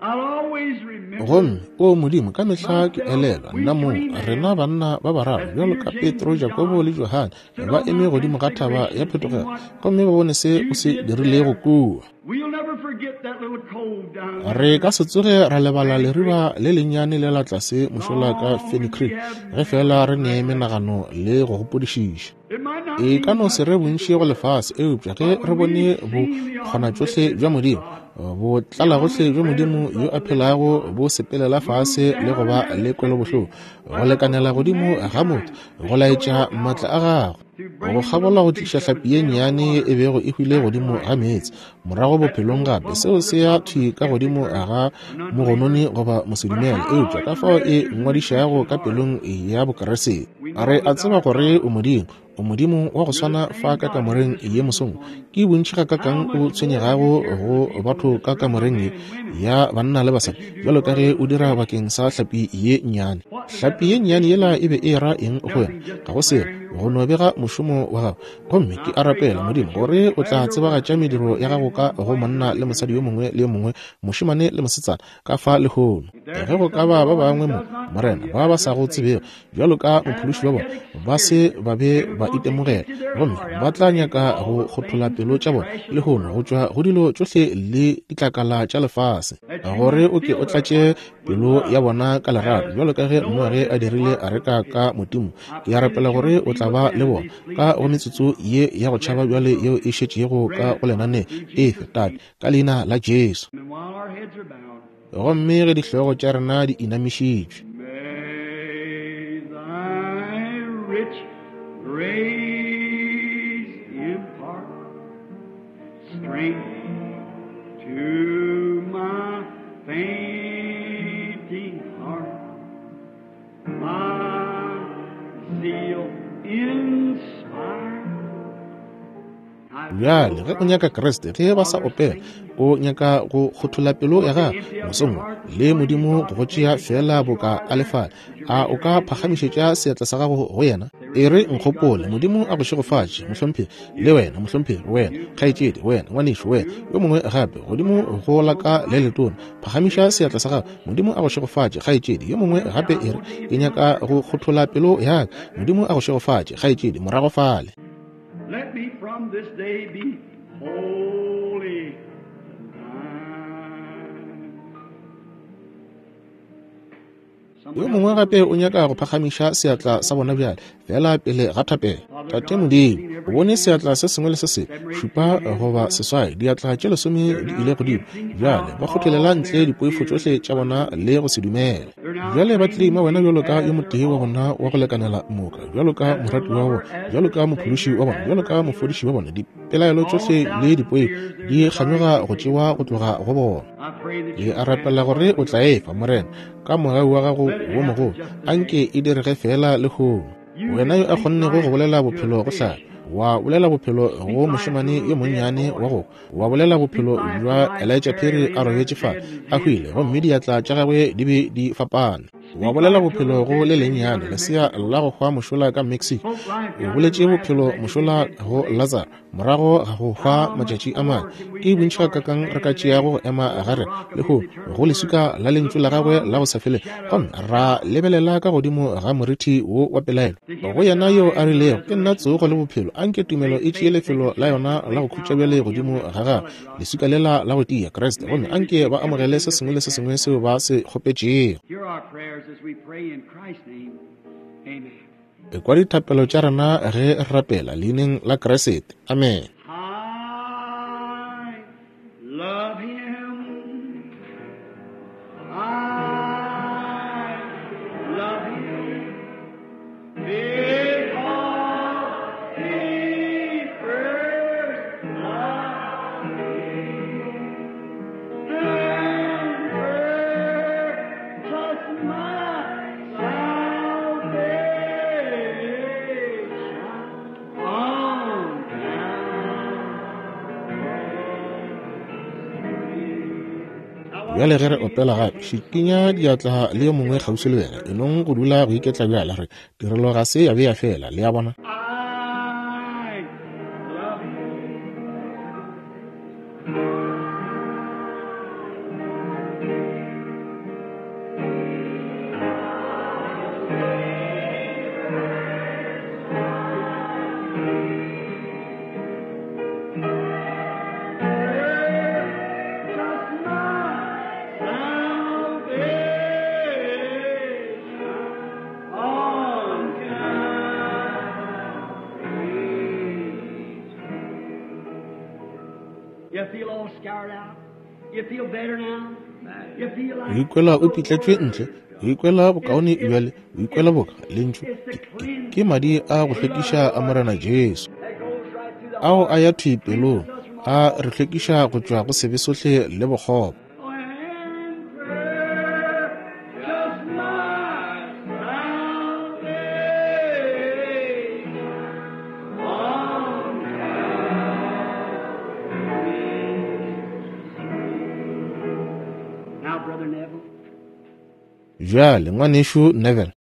I'll always remember Gomme o Modimo, ka mehla ke myself, elelwa we nna mong, three men, rena banna ba bararo as bjalo Peter, ka James, Petro, and Jakobo John, le Johane, stood ba on eme Mount godimo ga thaba Transfiguration ya and seen phetogelo, what gomme ba bone se o you se did dirilego there. kua. We'll never forget that little cove down Re there ka se tsoge ra lebala Fanny Creek. leriba le lennyane le la tlase mošola ka Long Fanny as we Creek, have ge memory fela re and ne recollection. menagano le go gopodišiša. It might not E ka mean no se much re to the bontši go world, lefase, eupša ge but re when bone we've seen the bokgonatšohle bja omnipotence of Modimo, God, bo the tlalagohle bja Modimo omnipresence yo of a the living phelago God, bo sepelela move fase le go down ba and le kwelobohloko, accepted go by the lekanela godimo ga motho, mankind to go show laetša your maatla a power gagwe, to go bring the kgabola little go fish tliša that was hlapi ye dead on the nnyane ye water e bego e hwile back to godimo life ga meetse again. morago That bophelong little gape. bubble Seo to se the ya top of the thwi ka skeptic godimo or ga an unbeliever. mogononi goba But mosedumele, how eupša it ka fao e registers in the ngwadišago Christian ka heart. pelong ya Bokeresete. We Re know a that thou tseba art gore God. o Modimo, o Modimo wa go You're the swana fa same ka God who kamoreng was in this ye room this mosong. morning. Ke bontši gakaakang How o much more do you tshwenyegago care for go the people in batho this ka room, the kamoreng men ye and women, ya banna le as basadi, you do bjalo ka for ge the o dira fish? bakeng sa hlapi ye nnyane. What does that Hlapi ye little nnyane fish yela do? e be e ra eng go wena? Nothing, just Ga go selo, declaring your go no word. bega mošomo wa gago. Gomme ke And I a pray, rapela God, Modimo that you'll gore o declare tla your word tsebagatša to mediro every ya man gago ka and go woman, monna boy, le and mosadi yo girl. mongwe le yo mongwe, mošemane le mosetsana, ka fa lehono. Ge go ka ba ba bangwe mo, Morena, ba ba sa go tsebego bjalo ka mophološi wa bona, ba se ba be ba itemogela, gomme ba tla nyaka go kgothola pelo tša bona lehono go tšwa go dilo tšohle le ditlakala tša lefase, gore o ke o tlatše pelo ya bona ka lerato bjalo ka ge Noage a dirile areka ka Modimo. Ke a rapela gore o tla ba le bona ka go metsotso ye ya go tšhaba bjale yeo e šetšego ka go lenane. Efe, Tate, ka leina la Jesu. Gomme ge dihlogo tša rena di inamišitšwe, May thy rich grace impart strength to my fainting heart, my zeal inspire. Bjale ge o nyaka Kriste, ge ba sa opela, o nyaka go kgothola pelo ya gago mosong le Modimo go go tšea feela boka a lefala, a o ka phagamišetša seatla sa gago go yena? E re, nkgopole. Modimo a go šegofatše, mohlomphegi, le wena, mohlomphegi, wena, kgaetšedi, wena, ngwanešu, wena, yo mongwe gape, godimo go la ka le letona, phagamiša seatla sa gago. Modimo a go šegofatše, kgaetšedi. Yo mongwe gape, e re, ke nyaka go kgothola pelo ya ka. Modimo a go šegofatše, kgaetšedi, morago fale. Let me from this day be holy thine. Yo mongwe gape o nyaka go phagamiša seatla sa bona bjale, fela pele ga thapelo. Tate Modimo, o bone seatla se sengwe le se sengwe, šupa goba seswai, diatla tše lesome di ile godimo. Bjale ba kgotlelela ntle dipoifo tšohle tša bona le go se dumele. Bjale ba tlima wena bjalo ka yo motee wa bona wa go lekanela moka, bjalo ka morati wa bona, bjalo ka mophološi wa bona, bjalo ka mofodiši wa bona. Dipelaelo tšohle le dipoifo di kganyoga go tšewa go tloga go bona. Ke a rapela gore o tla efa, Morena, ka mogau wa gago wo mogolo, anke e direge fela lehono. Wena yo a kgonnego go bolela bophelo go hlapi, wa bolela bophelo go mošemane yo monnyane wa go, wa bolela bophelo bja Elijah Perry a robetše fa a hwile, gomme diatla tša gagwe di be di fapane. Wa bolela bophelo go le lennyane lesea la go hwa mošola ka Mexico. O boletše bophelo mošola go Lazaro morago ga go hwa matšatši a mane. Ke bontši gakakang re ka tšeago go ema gare le go go leswika la lentšu la gagwe la go sa fele, gomme ra lebelela ka godimo ga morithi wo wa pelaelo. Go yena yo a rilego, ke nna tsogo le bophelo, anke tumelo e tšee lefelo la yona la go khutša bjale godimo ga gagwe, leswika lela la go tia, Kriste, gomme anke ba amogele se sengwe le se sengwe seo ba se kgopetšego. Hear our prayers as we pray in Christ's name. Amen. Ekwa dithapelo tša rena ge re rapela leineng la Kriste. Amen. I love him. I love him. Because he first loved me. And purchased my salvation on Bjale ge re opela gape, šikinya diatla le yo mongwe kgauswi le wena, e nong go dula go iketla bjale. Re tirelo ga se ya be ya fela, le a bona. I love him. Purchased my salvation on Calvary. You feel all scoured out? You feel better now? You feel O like ikwela o pitletšwe ntle, o ikwela bokaone bjale, o ikwela boka lentšu ke, ke, ke madi a go hlwekiša a Morena Jesu, that goes right through the ao a ya thwi pelong, a re hlwekiša go tšwa go sebe sohle le bokgopo. And purchased my salvation on Calvary. Now, Brother Neville. Bjale, ngwanešu Neville.